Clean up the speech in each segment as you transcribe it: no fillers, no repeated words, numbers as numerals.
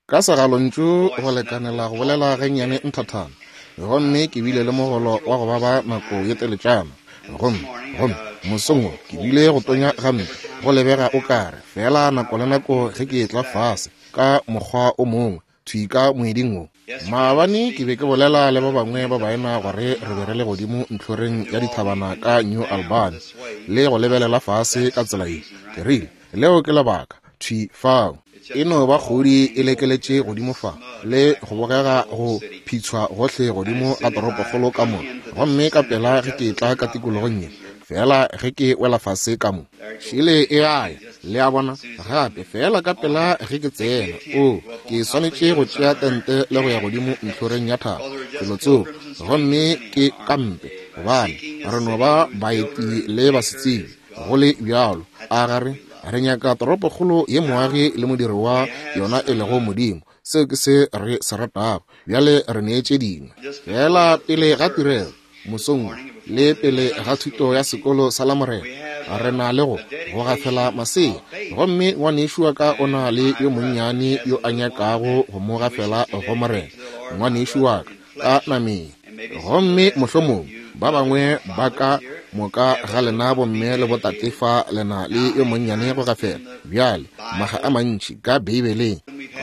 Ka segalontšu go lekanela go bolela gannyane nthathana, gomme ke bile le mogolo wa go baba nako ye teletšana. Gomme, gomme mosong wo ke bile go tonya gampe, go lebega o ka re, feela nako le nako ge ke etla fase, ka mokgwa o mongwe, thwi ka moeding wo. Maabane ke be ke bolela le ba bangwe ba baena gore re be re le godimo ntlhoreng ya dithabana ka New Albany, le go lebelela fase ka tsela ye. Ke rile, Leo ke lebaka, thwi fao. E no ba kgodi e lekeletše godimo fa, le go bogega go phitshwa gohle godimo ga toropokgolo ka mo. Gomme ka pela ge ke etla ka tikologong ye, feela ge ke wela fase ka mo, šele e a ya, le a bona, gape, feela ka pela ge ke tsena. Oo, ke swanetše go tšea tente le go ya godimo ntlhoreng ya thaba, felotsoko, gomme ke kampe, gobane re no ba baeti le basetsebi. Go le bjalo, a ga re? Re nyaka toropokgolo ye moagi le modiri wa yona e lego Modimo. Seo ke se re se ratago. Bjale re nee tše dingwe. Feela pele ga tirelo, mosong wo, le pele ga thuto ya sekolo sa Lamorena, re na le go, go gafela masea. Gomme ngwanešu wa ka o na le yo monnyane yo a nyakago go mo gafela go Morena, ngwanešu wa ka, ka nameng. Gomme mohlomong ba bangwe ba ka moka ga lena bomme le botate fa le na le yo monnyane go gafela. Bjale, maga a mantši ka Beibeleng.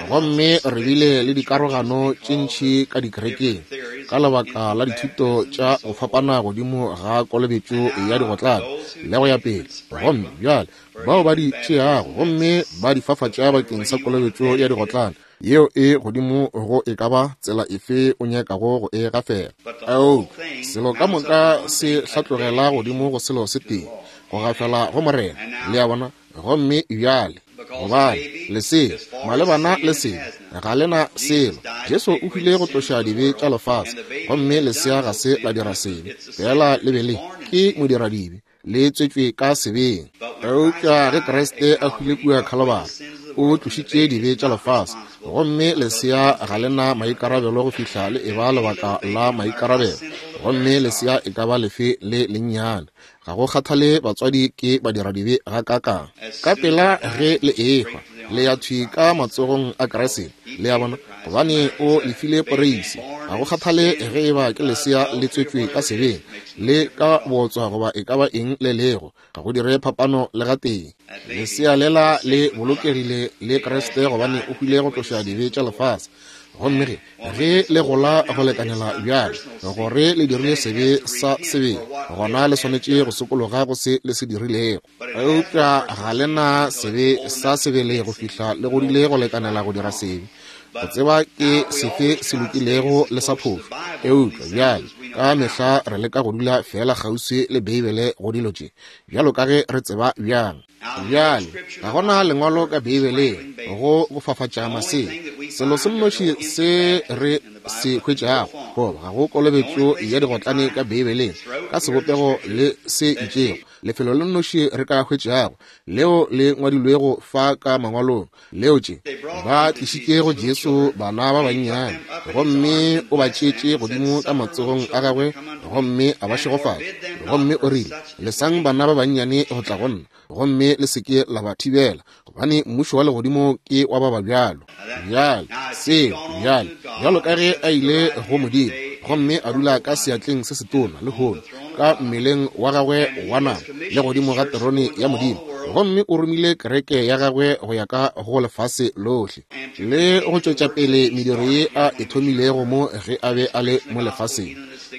Gomme re bile le dikarogano tše ntši ka dikerekeng ka lebaka la dithuto tša go fapana godimo ga kolobetšo ya digotlane le go ya pele. Gomme bjale bao ba di tšeago gomme ba di fafatša bakeng sa kolobetšo ya digotlane, yeo e godimo go e ka ba tsela efe o nyakago go e gafela. Eupša selo ka moka se hlatlogela godimo go selo se tee, go gafela go Morena. Le a bona? Gomme bjale, gobane lesea, malebana le sebe, ga le na selo. Jesu o hwile go tloša dibe tša lefase, gomme lesea ga se la dira sebe, feela le be le ke modiradibe, le tswetšwe ka sebeng. Eupša ge Kriste a hwile kua Khalobari, o tlošitše dibe tša lefase, gomme lesea ga le na maikarabelo go fihla le eba lebaka la maikarabelo, gomme lesea e ka ba lefe le lennyane. Ga go kgathale batswadi ke badiradibe gakaakang. Ka pela ge le ehwa, le ya thwi ka matsogong a Kriste. Le a bona? Gobane o lefile poreisi. Ga go kgathale ge eba ke lesea le tswetšwe ka sebeng, le ka bootswa goba e ka ba eng le lego, ga go dire phapano le gatee. Lesea lela le bolokegile le Kriste gobane o hwile go tloša dibe tša lefase. Gomme ge, ge le gola go lekanela bjale gore le dirile sebe sa sebele, gona le swanetše go sokologa go se le se dirilego. Eupša ga le na sebe sa sebele go fihla le godile go lekanela go dira sebe, go tseba ke sefe se lokilego le sa phošo. Eupša bjale ka mehla re leka go dula feela kgauswi le Beibele go dilo tše, bjalo ka ge re tseba bjang. Bjale, ga go na lengwalo ka Beibeleng go go fafatša masea. Selo se nnoši se re se hwetšago, goba ga go kolobetšo ya digotlane ka Beibeleng ka sebopego le se itšego. Lefelo le nnoši re ka hwetšago leo le ngwadilwego fa ka Mangwalong, leo tše ba tlišitše go Jesu bana ba bannyane, gomme o ba tšeetše godimo ka matsogong a gagwe gomme a ba šegofatša, gomme o rile, Lesang bana ba bannyane go tla go nna, gomme le se ke la ba thibela, gobane mmušo wa legodimo ke wa ba ba bjalo. Bjale, seo, bjale, bjalo ka ge a ile go Modimo, gomme a dula ka seatleng se setona lehono, ka mmeleng wa gagwe wa nama, le godimo ga terone ya Modimo, gomme o romile kereke ya gagwe go ya ka go lefase lohle, le go tšwetša pele mediro ye a e thomilego mo ge a be a le mo lefaseng,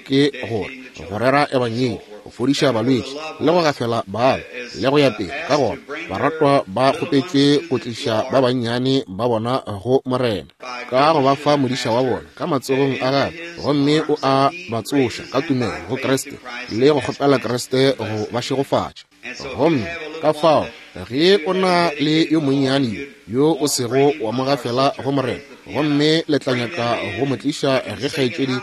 ke gore, go rera ebangedi, go fodiša balwetši, le go gafela bala, le go ya pele. Ka gona baratwa ba kgopetšwe go tliša ba bannyane ba bona go Morena, ka go ba fa modiša wa bona ka matsogong a gagwe, gomme o a ba tsoša ka tumelo go Kriste, le go kgopela Kriste go ba šegofatša. Gomme ka fao ge o na le yo monnyane yo yo o sego wa mo gafela go Morena, gomme le tla nyaka go mo tliša ge kgaetšedi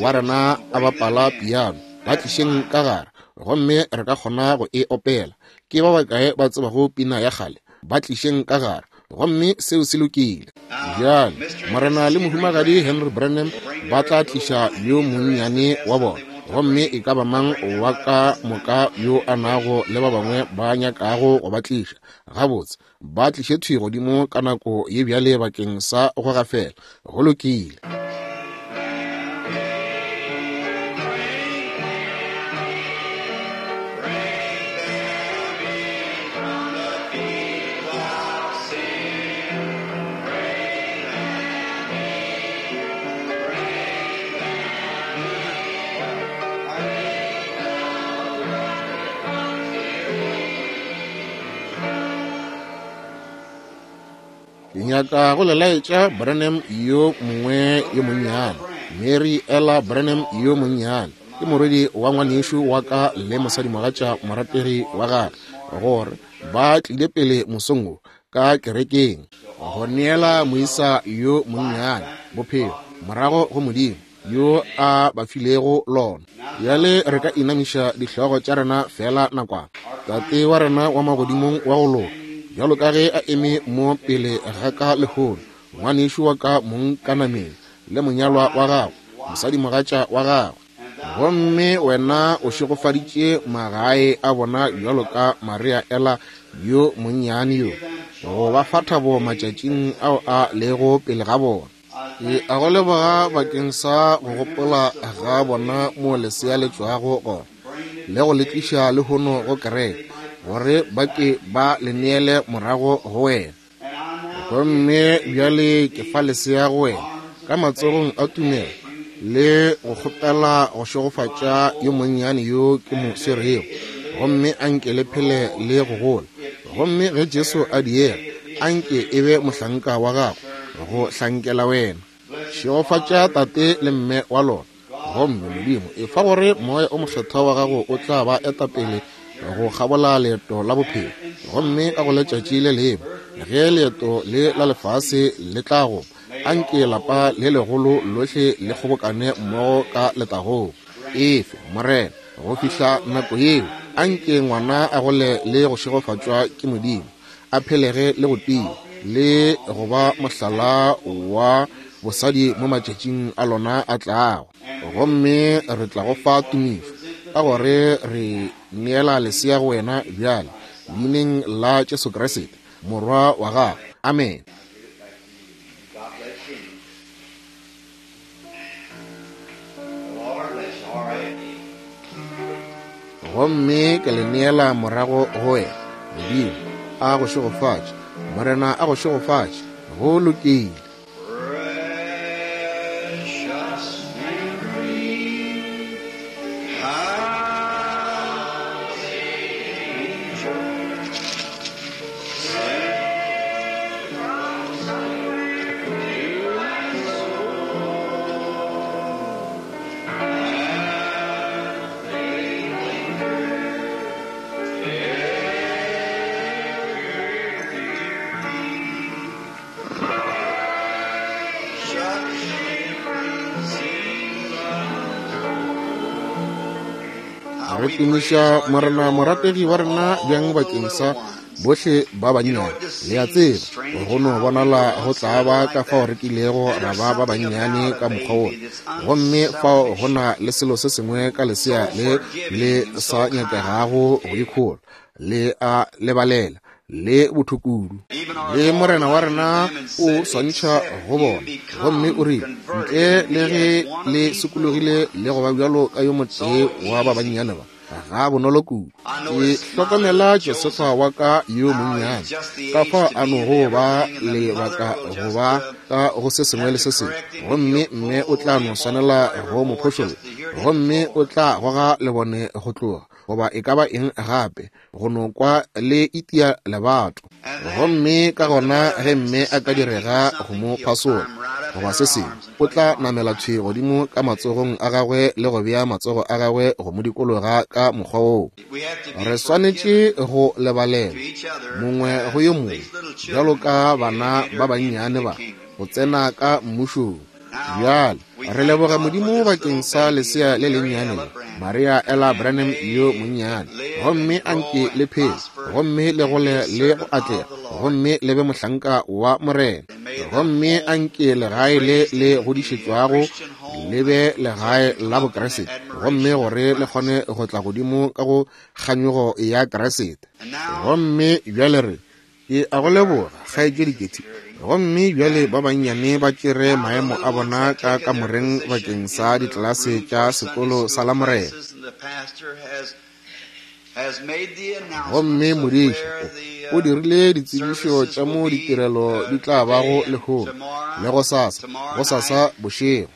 wa rena a bapala piano, ba tlišeng ka gare gomme re ka kgona go e opela. Ke ba bakae ba tsebago pina ya kgale? Ba tlišeng ka gare, gomme seo se lokile. Bjale, Morena le Mohumagadi Henry Branham ba tla tliša yo monnyane wa bona. Gomme e ka ba mang wa ka moka yo a nago le ba bangwe ba nyakago go ba tliša, gabotse, ba tliše thwi godimo ka nako ye bjale bakeng sa go gafela. Go lokile. Ke nyaka go le laetša Branham yo mongwe yo monnyane, Mary Ella Branham yo monnyane. Ke morwedi wa ngwanešu wa ka le mosadimogatša morategi wa gagwe, gore ba tlile pele mosong wo ka kerekeng go neela moisa yo monnyane bophelo morago go Modimo yo a ba filego lona. Bjale re ka inamiša dihlogo tša rena feela nakwana. Tate wa rena wa magodimong wa go loka, bjalo ka ge a eme mo pele ga ka lehono, ngwanešu wa ka mong ka nameng, le monyalwa wa gagwe, mosadimogatša wa gagwe. Gomme wena o šegofaditše magae a bona bjalo ka Maria Ella yo monnyane yo, go ba fa thabo matšatšing ao a lego pele ga bona. Ke a go leboga bakeng sa go gopola ga bona mo lesea le tšwago gona, le go le tliša lehono go kereke, gore ba ke ba le neele morago go wena. Gomme bjale ke fa lesea go wena ka matsogong a tumelo, le go kgopela go šegofatša yo monnyane yo ke mo swerego, gomme a nke le phele le go gola. Gomme ge Jesu a diega, a nke e be mohlanka wa gago go hlankela wena. Šegofatša tate le mme wa lona. Gomme Modimo, efa gore Moya o Mokgethwa wa Gago o tla ba eta pele go kgabola leeto la bophelo. Gomme ka go letšatši le lengwe, ge leeto le la lefase le tla go, a nke lapa le legolo lohle le kgobokane mmogo ka letagong. Efe, Morena, go fihla nako yeo, a nke ngwana a gole le go šegofatšwa ke Modimo, a phelege le go tia, le go ba mohlala wa bosadi mo matšatšing a lona a tlago. Gomme re tla go fa tumišo, ka gore re neela lesea go wena bjale, leineng la Jesu Kriste, Morwa wa Gago. Amene. Gomme ke le neela morago go wena. Modimo a go šegofatše. Morena a go šegofatše. Go lokile. Precious Mary, how Re tumiša Morena morategi wa rena bjang bakeng sa bohle ba bannyane. Le a tseba, go no bonala go tla ba ka fao re kilego ra ba ba bannyane ka mokgwa wola. Gomme fao go na le selo se sengwe ka lesea le le sa nyakegago go ikhola, le a lebalela, le botho kudu. Le Morena wa rena o swantšha go bona, gomme o rile, ntle le ge le sokologile le go ba bjalo ka yo motee wa ba bannyane ba, ga bonolo kudu. Ke hlokomela Josefa wa ka yo monnyane, ka fao a nogo ba lebaka go ba ka go se sengwe le se sengwe, gomme mme o tla no swanela go mo phošolla, gomme o tla goga lebone go tloga, goba e ka ba eng gape, go no kwa le itia lebato. Gomme ka gona ge mme a ka direga go mo phasola goba se sengwe, o tla namela thwi godimo ka matsogong a gagwe le go bea matsogo a gagwe go mo dikologa ka mokgwa woo. Re swanetše go lebalela mongwe go yo mongwe, bjalo ka bana ba bannyane ba go tsena ka mmušong. Bjale re leboga Modimo bakeng sa lesea le lennyane le, Maria Ella Branham yo monnyane. Gomme a nke le phele, gomme le gole le go atlega, gomme le be mohlanka wa Morena. Gomme a nke legae le le godišetšwago le be legae la Bokriste, gomme gore le kgone go tla godimo ka go kganyogo ya Kriste. Gomme bjale re, ke a go leboga, kgaetšedi Getty. Gomme bjale ba bannyane ba tšere maemo a bona ka kamoreng bakeng sa ditlelase tša sekolo sa Lamorena. Gomme modiši o dirile ditsebišo tša mo ditirelo di tla bago lehono le gosasa, gosasa bošego.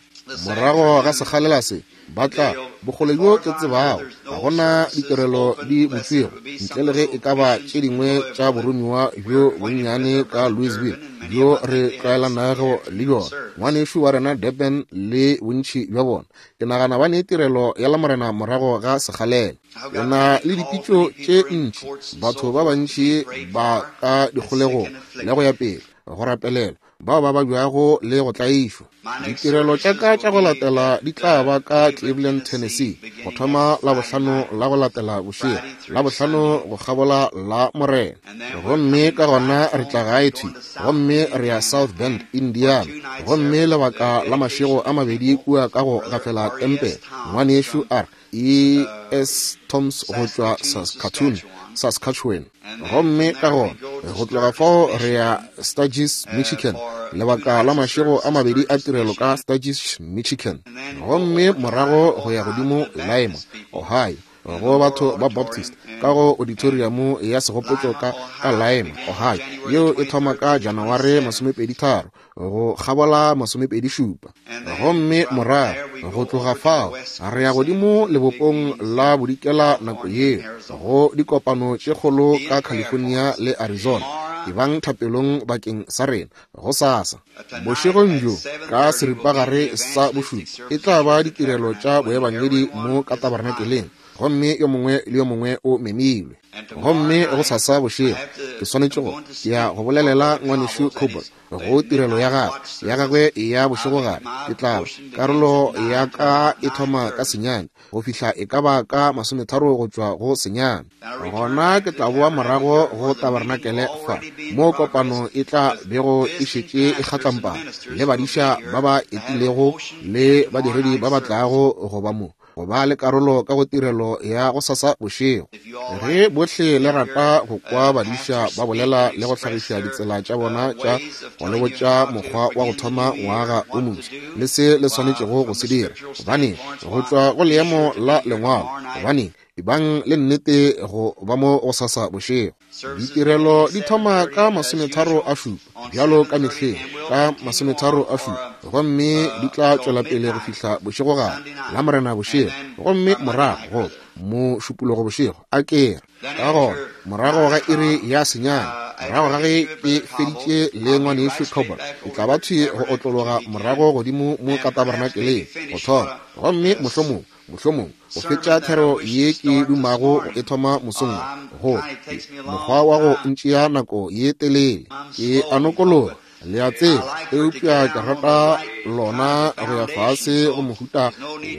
Morago ga sekgalela se, ba tla, bokgole bjo ke tsebago, ga go na ditirelo di butšwego, ntle le ge e ka ba tše dingwe tša boromiwa bjo bonnyane ka Louisville, bjo re tlwaelanago le bjona, ngwanešu wa rena Durban le bontši bja bona. Ke nagana ba ne tirelo ya Lamorena morago ga sekgalela. Ke na le dipitšo tše ntši, batho ba bantši ba ka dikgolegong le go ya pele, go rapelela bao ba babjago le go tlaišwa. Ditirelo tša ka tša go latela di tla ba ka Cleveland, Tennessee, go thoma Labohlano la go latela bošego, Labohlano go kgabola la Morena. Gomme ka gona re tla gae thwi, gomme re ya South Bend, Indiana, gomme lebaka la mašego a mabedi kua ka go gafela tempele. Ngwanešu R. E. S. Toms go tšwa Saskatoon, Saskatchewan. Gomme ka gona go tloga fao re ya Sturgis, Michigan, lebaka la mašego a mabedi a tirelo ka Sturgis, Michigan. Gomme morago go ya godimo Lima, Ohio, go batho ba Baptist ka go auditorium ya segopotšo ka ka Lima, Ohio, yeo e thoma ka Janaware 23 go kgabola 27. Gomme morago go tloga fao re ya godimo lebopong la bodikela nako yeo go dikopano tše kgolo ka California le Arizona. Ebang thapelong bakeng sa rena gosasa bošegong bjo ka seripagare sa bošupa e tla ba ditirelo tša boebangedi mo ka tabernakeleng, gomme yo mongwe le yo mongwe o memilwe. Gomme gosasa bošego ke swanetše go ya go bolelela ngwanešu Cobble go tirelo ya gagwe ya gagwe ya bošegogare. Ke tla ba karolo ya ka e thoma ka 9 go fihla e ka ba ka 30 go tšwa go 9. Gona ke tla boa morago go tabernakele fa mo kopano e tla bego e šetše e kgatlampana le badiša ba ba etilego le badiredi ba ba tlago go ba mo go ba le karolo ka go tirelo ya go sasa bošego. Ge bohle le rata go kwa badiša ba bolela le go hlagiša ditsela tša bona tša go le botša mokgwa wa go thoma ngwaga o moswa le se le swanetšego go se dira, gobane go tšwa go leemo la lengwalo, gobane ebang le nnete go ba mo go sasa bošego. Ditirelo di thoma ka 37 bjalo ka mehleng, ka 37, gomme di tla tšwela pele go fihla bošegogare la Morena bošego, gomme morago go Mošupologo bošego a kere. Ka gona morago ga iri ya 9, morago ga ge ke feditše le ngwanešu Cobble, ke tla ba thwi go otlologa morago godimo mo ka tabernakeleng go thoma, gomme mohlomong mohlomong go fetša thero ye ke dumago go e thoma mosong wo. Go mokgwa wa go ntšea nako ye telele, ke a nokologa, le a tseba, eupša ke rata lona go ya fase go mohuta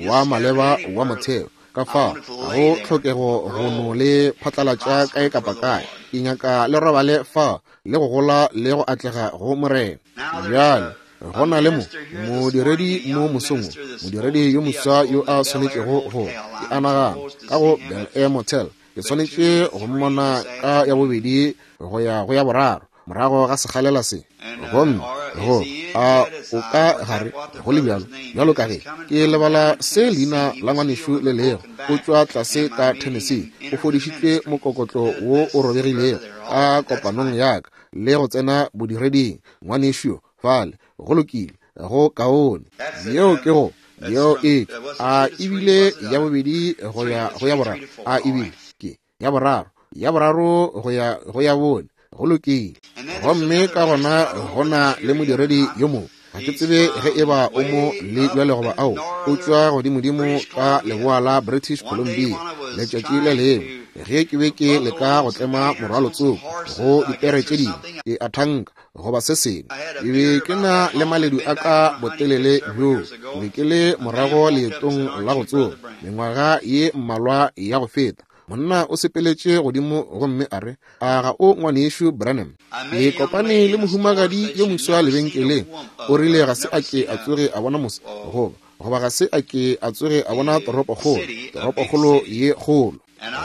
wa maleba wa motheo. Ka fao ga go tlhokego go no le phatlalatša kae kapa kae. Ke nyaka le robale fa le go gola le go atlega go Morena. Bjale go na le mo modiredi mo mosong, modiredi yo moswa yo a swanetšego go, ke a nagana, ka go Bel Air Motel. Ke swanetše go mmona ka ya bobedi go ya go ya boraro morago ga sekgalela se. Gomme go a o ka gare go le bjalo, bjalo ka ge ke lebala se leina la ngwanešu le lego, o tšwa tlase ka Tennessee, o fodišitšwe mokokotlo wo o robegilego ka kopanong ya ka le go tsena bodireding. Ngwanešu fale, go lokile, go kaone. Yeo ke go, yeo e a ebile ya bobedi go ya go ya boraro, a ebile ke ya boraro, ya boraro go ya go ya bone, go lokile. Gomme ka gona go na le modiredi yo mongwe, ga ke tsebe ge e ba o mo le bjale goba ao, o tšwa godimodimo ka leboa la British Columbia. Letšatši le lengwe ge ke be ke leka go tlema morwalotsoko go dipere tše dingwe, ke a thanka goba se sengwe, ke be ke na le maledu a ka botelele bjo. Ke be ke le morago leetong la go tsoma mengwaga ye mmalwa ya go feta. Monna o sepeletše godimo gomme a re, a ga o ngwanešu Branham? Ke kopane le mohumagadi yo moswa lebenkeleng. O rile ga se a ke a tsoge a bona mos goba goba ga se a ke a tsoge a bona toropokgolo, toropokgolo ye kgolo.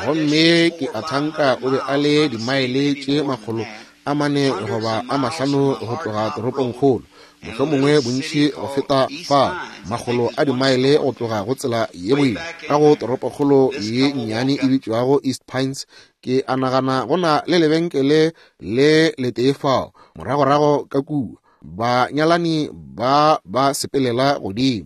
Gomme ke a thanka o be a le dimaele tše 400 goba a 500 go tloga toropongkgolo, mohlomongwe bontši go feta fao, makgolo a dimaele go tloga go tsela ye boima ka go toropokgolo ye nnyane e bitšwago East Pines. Ke a nagana go na le lebenkele le letee fao, moragorago ka kua. Banyalani ba ba sepelela godimo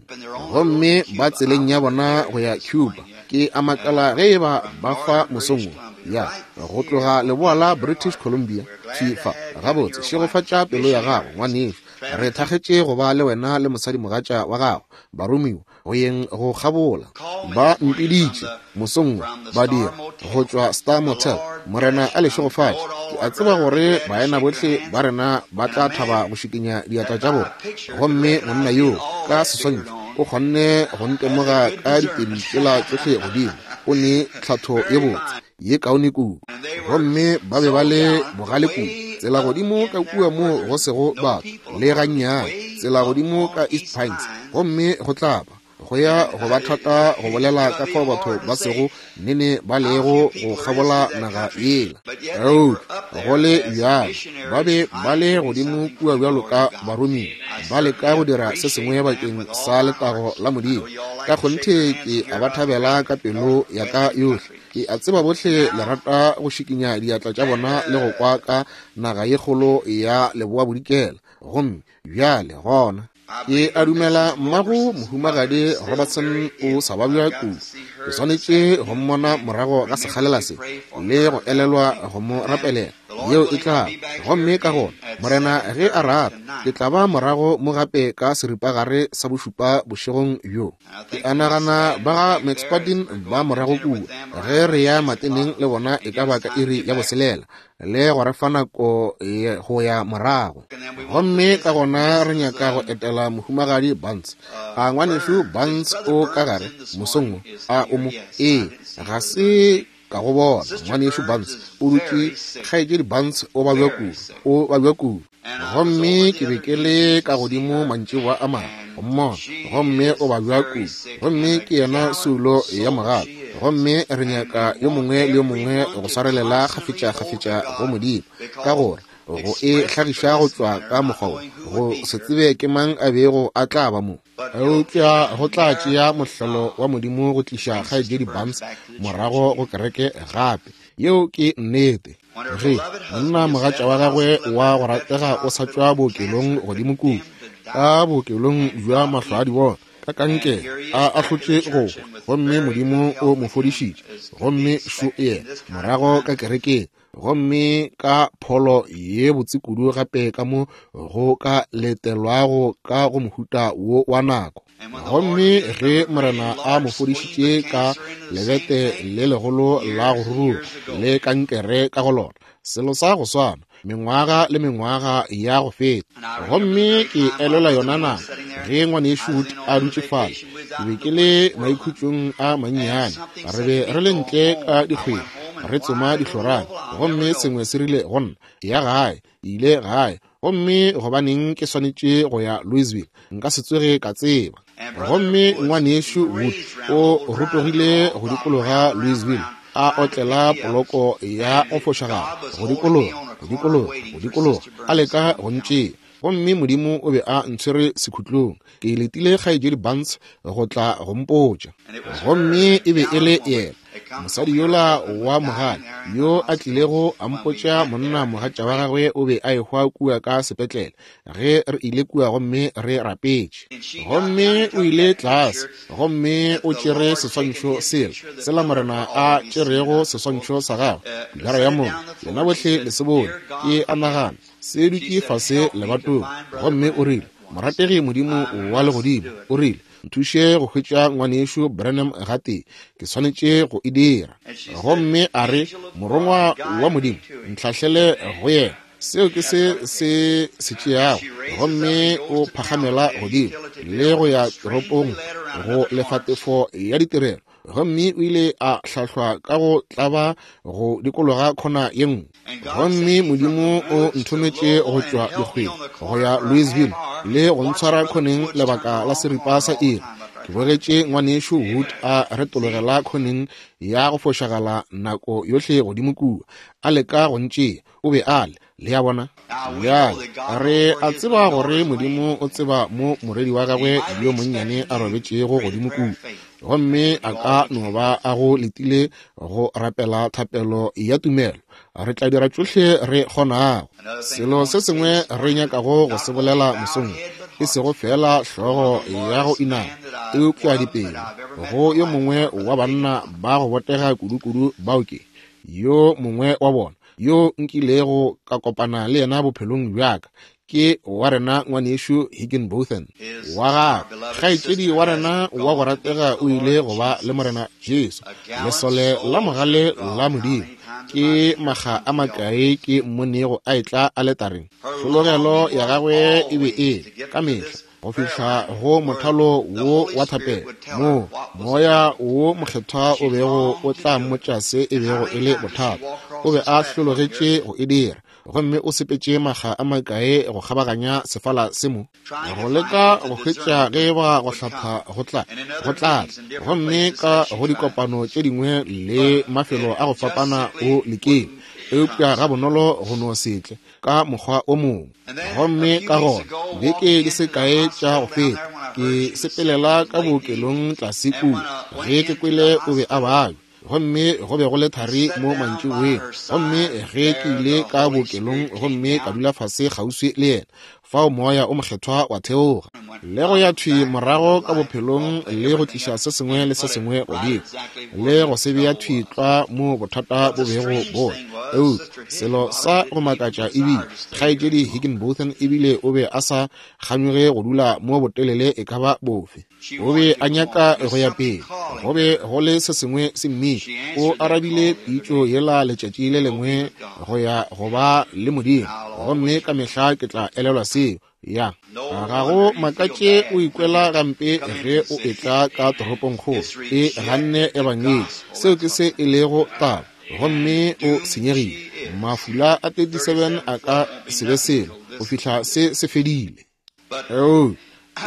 gomme ba tseleng ya bona go ya Cuba. Ke a makala ge e ba ba fa mosong wo, ya go tloga leboa la British Columbia thwi fa. Gabotse, šegofatša pelo ya gago, ngwanešu. Re thakgetše go ba le wena le mosadimogatša wa gago, baromiwa, go yeng go kgabola. Ba mpiditše mosong wo, badiri go tšwa Star Motel. Morena a le šegofatše. Ke a tseba gore baena bohle ba rena ba tla thaba go šikinya diatla tša bona. Gomme monna yoo ka seswantšho o kgonne go ntemoga ka ditedu tšela tšohle godimo. O ne tlhatho ye botse, ye kaone kudu. Gomme ba be ba le bogale kudu, tsela godimo ka kua moo go sego batho le gannyane, tsela godimo ka East Pines. Gomme go tla ba go ya go ba thata go bolela ka fao batho ba sego nene ba lego go kgabola naga yela. Eupša go le bjalo ba be ba le godimo kua bjalo ka baromiwa, ba leka go dira se sengwe bakeng sa letago la Modimo. Ka kgonthe ke a ba thabela ka pelo ya ka yohle. Ke a tseba bohle le rata go šikinya diatla tša bona le go kwa ka naga ye kgolo ya leboa bodikela. Gomme bjale gona ke a dumela mmago mohumagadi Robertson o sa babja kudu. Ke swanetše go mmona morago ga sekgalela se le go elelwa go mo rapelela. Yeo e tla. Gomme ka gona, Morena ge a rata, ke tla ba morago mo gape ka seripagare sa bošupa bošegong bjo. Ke a nagana ba ga McSpadden ba morago kua ge re ya mateneng le bona e ka ba ka iri ya 6, le go re fa nako go ya morago. Gomme ka gona re nyaka go etela mohumagadi Barnes. A ngwanešu Barnes o ka gare mosong wo? A o mo? Ee, ga se ka go bona. Ngwanešu Barnes o dutše. Kgaetšedi Barnes o babja kudu, o babja kudu. Gomme ke be ke le ka godimo mantšiboa a mangwe go mmona, gomme o babja kudu. Gomme ke yena soulo ya mogala. Gomme re nyaka yo mongwe le yo mongwe go swarelela kgafetša-kgafetša go Modimo, ka gore go e hlagiša go tšwa ka mokgwa wo, go se tsebe ke mang a bego a tla ba mo. Eupša go tla tšea mohlolo wa Modimo go tliša kgaetšedi Barnes morago go kereke gape. Yeo ke nnete. Ge monna mogatša wa gagwe wa go ratega o sa tšwa bookelong godimo kua, ka bookelong bja mahlo a dibona, ka kankere, a ahlotše go hwa, gomme Modimo o mo fodišitše, gomme šo yena morago ka kerekeng, gomme ka pholo ye botse kudu gape ka mo go ka letelwago ka go mohuta wo wa nako. Gomme ge Morena a mo fodišitše ka lebete le legolo la go ruruga le kankere ka go lona, selo sa go swana, mengwaga le mengwaga ya go feta. Gomme ke elelwa yona nako ge ngwanešu Wood a dutše fale, ke be ke le maikhutšong a mannyane, re be re le ntle ka dikgweng re tsoma dihlorane, gomme sengwe se rile go nna, ya gae. Ke ile gae, gomme gobaneng ke swanetše go ya Louisville? Nka se tsoge ka tseba. Gomme ngwanešu Wood o rotogile go dikologa Louisville, a otlela poloko ya go fošagala go dikologa, go dikologa, go dikologa, a leka go ntšea. Gomme Modimo o be a ntshwere sekhutlong. Ke letile kgaetšedi Barnes go tla go mpotša. Gomme e be e le yena, mosadi yola wa mogale, yo a tlilego a mpotša monna mogatša wa gagwe o be a ehwa kua ka sepetlele ge re ile kua gomme re rapetše. Gomme o ile tlase gomme o tšere seswantšho sela, sela Morena a tšerego seswantšho sa gagwe, pilara ya mollo. Lena bohle le se bone, ke a nagana, se dutše fase lebatong. Gomme o rile, Morategi Modimo wa Legodimo, o rile, nthuše go hwetša ngwanešu Branham gatee, ke swanetše go e dira. Gomme a re, Morongwa wa Modimo, ntlhahlele go yena. Seo ke se se se tšeago. Gomme o phagamela godimo le go ya toropong go lefa tefo ya ditirelo. Gomme o ile a hlahlwa ka go tlaba go dikologa khona ye nngwe. Gomme Modimo o nthometše go tšwa dikgweng go ya Louisville le go ntshwara khoneng lebaka la seripa sa iri. Ke bogetše Ngwanešu Wood a retologela khoneng ya go fošagala nako yohle godimo kua, a leka go ntšea. O be a le, le a bona. Bjale, re a tseba gore Modimo o tseba mo morwedi wa gagwe yo monnyane a robetšego godimo kua, gomme a ka no ba a go letile go rapela thapelo ya tumelo. Re tla dira tšohle re kgonago. Selo se sengwe re nyakago go se bolela mosong, e sego feela hlogo ya go inama, eupša dipelo, go yo mongwe wa banna ba go botega kudukudu bao ke, yo mongwe wa bona, yo nkilego ka kopana le yena bophelong bja ka, ke wa rena Ngwanešu Higginbotham wa gagwe. Kgaetšedi wa rena wa go ratega o ile go ba le Morena Jesu, lesole la mogale la Modimo. Ke makga a makae ke mmonego a etla aletareng. Tlhologelo ya gagwe e be e ka mehla go fihla go mothalo wo wa thapelo, moo Moya wo Mokgethwa o bego o tla mmotša se e bego e le bothata. O be a hlologetše go e dira, gomme o sepetše makga a makae go kgabaganya sefala se mo, go leka go hwetša ge ba go hlatha go tla, go tla tla. Gomme ka go dikopano tše dingwe le mafelo a go fapana o lekile, eupša gabonolo go no se tle ka mokgwa o mongwe. Gomme ka gona beke di se kae tša go feta, ke sepelela ka bookelong tlase kua, ge ke kwele o be a babja, gomme go be go le thari mo mantšiboeng. Gomme ge ke ile ka bookelong gomme ka dula fase kgauswi le yena, fao Moya o Mokgethwa wa theoga le go ya thwi morago ka bophelong le go tliša se sengwe le se sengwe godimo le go se bea thwi tlwa mo bothata bo bego bo le. Eupša selo sa go makatša ebile, Kgaetšedi Higginbotham ebile o be a sa kganyoge go dula mo botelele e ka ba bofe. O be a nyaka go ya pele. Go be go le se sengwe se mmitša. O arabile pitšo yela letšatši le lengwe go ya go ba le Modimo, gomme ka mehla ke tla elelwa seo. Ya, ga go makatše o ikwela gampe ge o etla ka toropongkgolo e ganne ebangedi. Seo ke se e lego taba. Gomme o senyegile. Mafula a 37 a ka se be selo go fihla se se fedile. Oo,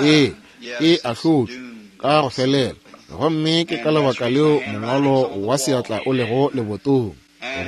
ee, e ahlotšwe ka go felela, gomme ke ka lebaka leo mongwalo wa seatla o lego lebotong.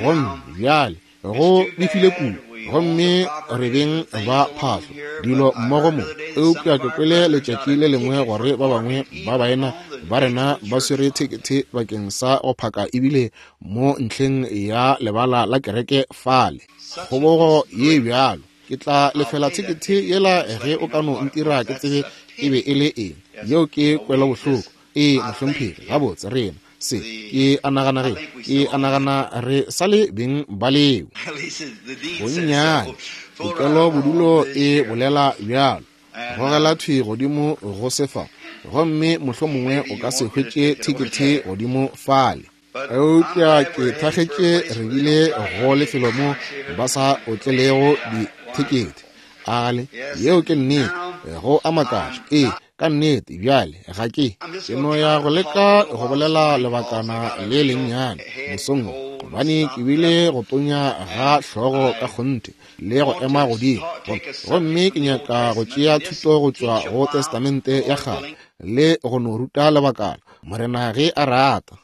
Gomme bjale go befile kudu, gomme re beng ba phahlo dilo mmogo mo. Eupša ke kwele letšatši le lengwe gore ba bangwe ba baena ba rena ba swere thekethe bakeng sa go phaka ebile mo ntlheng ya lebala la kereke fale. Kgobogo ye bjalo! Ke tla lefela thekethe yela ge o ka no ntira ke tsebe e be e le eng. Yeo ke kwelobohloko. Ee, mohlomphegi. Gabotse, rena, se, ke a nagana ge, ke a nagana re sa le beng ba leo. Bonnyane, pokelobodulo e bolela bjalo. Gogela thwi godimo go se fa, gomme mohlomongwe o ka se hwetše thekethe godimo fale. Eupša ke thakgetše re bile go lefelo mo ba sa otlelego dithekethe. Ale, yeo ke nnete, go a makatša. Ee, ka nnete. Bjale, ga ke, ke no ya go leka go bolela lebakana le lennyane mosong wo, gobane ke bile go tonya ga hlogo ka kgonthe le go ema godimo. Gomme ke nyaka go tšea thuto go tšwa go Testamente ya Kgale le go no ruta lebakana, Morena ge a rata.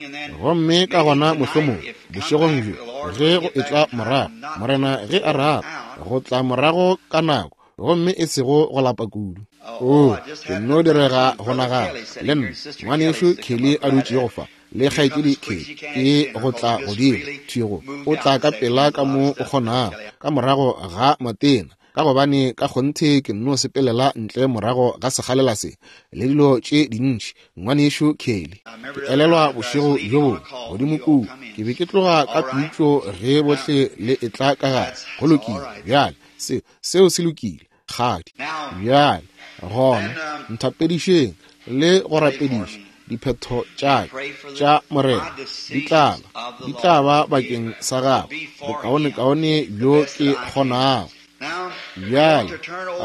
Gomme ka gona mohlomongwe bošegong bjo, ge go etla morago, Morena ge a rata, go tla morago ka nako, gomme e sego go lapa kudu. Oo, ke nno direga go nagana, le nna, Ngwanešu Kelly a dutšego fa, le Kgaetšedi Kelly, ke go tla godimo thwi go o tla ka pela ka mo o kgonago, ka morago ga matena, ka gobane ka kgonthe ke nno sepelela ntle morago ga sekgalela se le dilo tše dintši. Ngwanešu Kelly, ke elelwa bošego bjo bongwe godimo kua, ke be ke tloga ka pitšo ge bohle le etla ka gare. Go lokile bjale, se, seo se lokile, kgadi. Bjale gona nthapedišeng le go rapediša diphetho tša ka tša Morena di tla ba, di tla ba bakeng sa gago bokaonekaone bjo ke kgonago. Bjale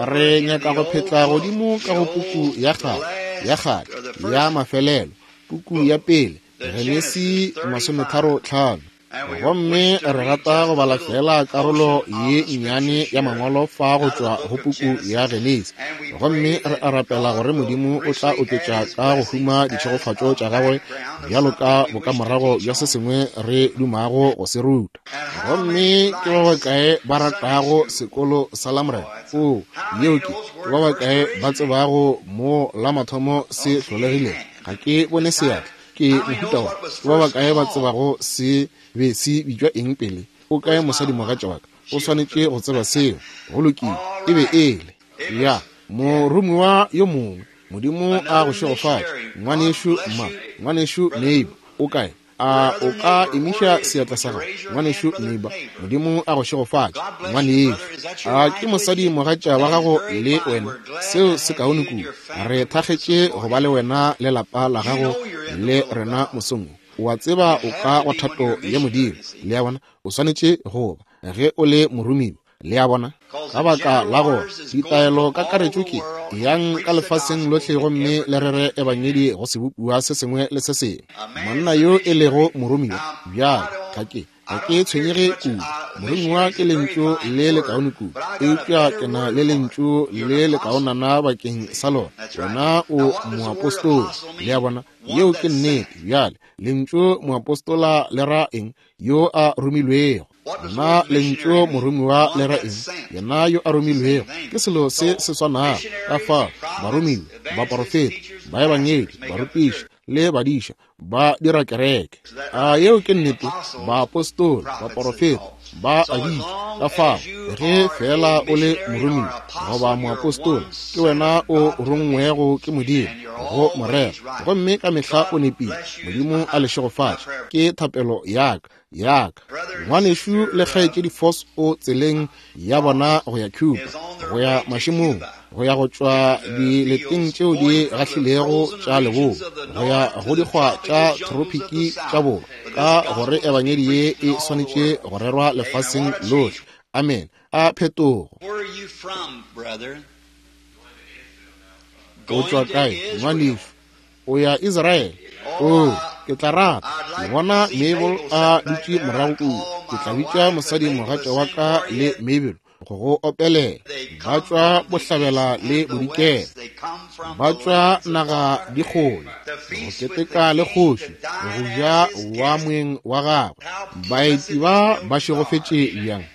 re nyaka go phetla godimo ka go puku ya kgale, ya kgale, ya mafelelo, puku ya pele, Genesi 35. Gomme re rata go bala fela karolo ye nnyane ya mangwalo fa go tšwa go puku ya Genesi. Gomme re a rapela gore Modimo o tla oketša ka go huma ditšhegofatšo tša gagwe bjalo ka bokamorago bja se sengwe re dumago go se ruta. Gomme ke ba bakae ba ratago sekolo sa Lamorena? O, yeo ke, ke ba bakae ba tsebago mo la mathomo se hlolegilego? Ga ke bone seatla. Ke mohuta wa, ke ba bakae ba tsebago se be se bitšwa eng pele? O kae mosadimogatša wa ka? O swanetše go tseba seo. Go lokile, e be e le ya moromiwa yo mongwe. Modimo a go šegofatše, ngwanešu ma, ngwanešu Neighbor. O kae? A o ka emiša seatla sa gago, ngwanešu Neighbor? Modimo a go šegofatše, ngwanešu. A ke mosadi mogatša wa gago le wena? Seo se kaone kudu. Re thakgetše go ba le wena le lapa la gago le rena mosong wo. O a tseba o ka go thato ya Modimo. Le a bona? O swanetše go ba, ge o le moromiwa. Le a bona? Ka baka la gore ditaelo kakaretšo ke, Yang ka lefaseng lohle gomme le rere ebangedi go sebopiwa se sengwe le se sengwe. Monna yo e lego moromiwa, bjale, ga ke, ga ke tshwenyege kudu. Moromiwa ke lentšu le lekaone kudu, eupša ke na le lentšu le lekaonana bakeng sa lona. Wena o moapostola. Le a bona? Yeo ke nnete. Bjale, lentšu moapostola le ra eng? Yo a romilwego. Na lentšu moromiwa le ra eng? Yena yo a romilwego. Ke selo se se swanago. Ka fao, baromiwa, baporofeta, baebangedi, barutiši, le badiša ba dira kereke. A yeo ke nnete? Baapostola, baporofeta, ba a bitšwa. Ka fao, ge feela o le moromiwa goba moapostola, ke wena o rongwego ke Modimo go morero, gomme ka mehla o nepile. Modimo a le šegofatše. Ke thapelo ya ka. Ya ka. Ngwanešu le kgaetšedi Foss o tseleng ya bona go ya Cuba, go ya mašemong, go ya go tšwa dileteng tšeo di gahlilego tša leboa, go ya go dikgwa tša tropiki tša borwa, ka gore ebangedi ye e swanetše go rerwa lefaseng lohle. Amen. A phetogo. O tšwa kae, ngwanešu? O ya Israele. Oo, ke tla rata ke bona Mabel a dutše morago kua. Ke tla bitša mosadi mogatša wa ka le Mabel go go opelela. Ba tšwa bohlabela le bodikela, ba tšwa naga dikgole go keteka le kgoši, go ja wa moeng wa gagwe. Baeti ba ba šegofetše bjang!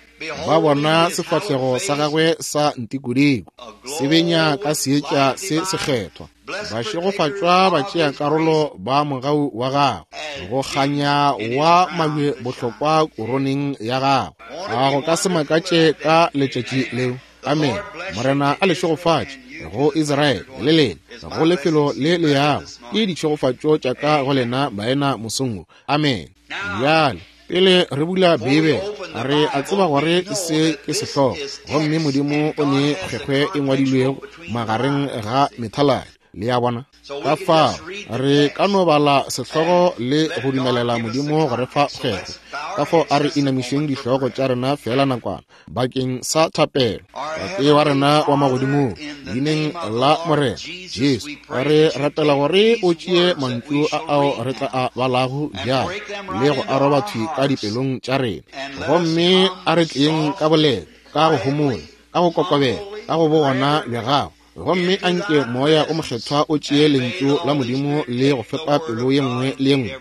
Ba bona sefahlego sa gagwe sa ntikodiko se benya ka seetša se sekgethwa. Ba šegofatšwa batšeakarolo ba mogau wa gagwe, go kganya wa mabje bohlokwa koroneng ya gagwe. A go ka se makatše ka letšatši leo. Amen. Morena a le šegofatše go Israele le lena, go lefelo le le yago. Ke ditšhegofatšo tša ka go lena baena mosong wo. Amen. Bjale, pele re bula Beibele, re a tseba gore se ke sehlogo, gomme Modimo o ne kgwekgwe e ngwadilwego magareng ga methaladi. Le a bona? Ka fao re ka no bala sehlogo le go dumelela Modimo go re fa kgwekgwe. Ka fao a re inamišeng dihlogo tša rena feela nakwana bakeng sa thapelo. Tate wa rena wa magodimong, leineng la Morena Jesu, re rapela gore o tšee mantšu a ao re tla a balago bjale le go a roba thwi ka dipelong tša rena, gomme a re tleng ka boleta, ka go homola, ka go kokobela, ka go bogona bja gago, gomme a nke Moya o Mokgethwa o tšee lentšu la Modimo le go fepa pelo ye nngwe le ye nngwe,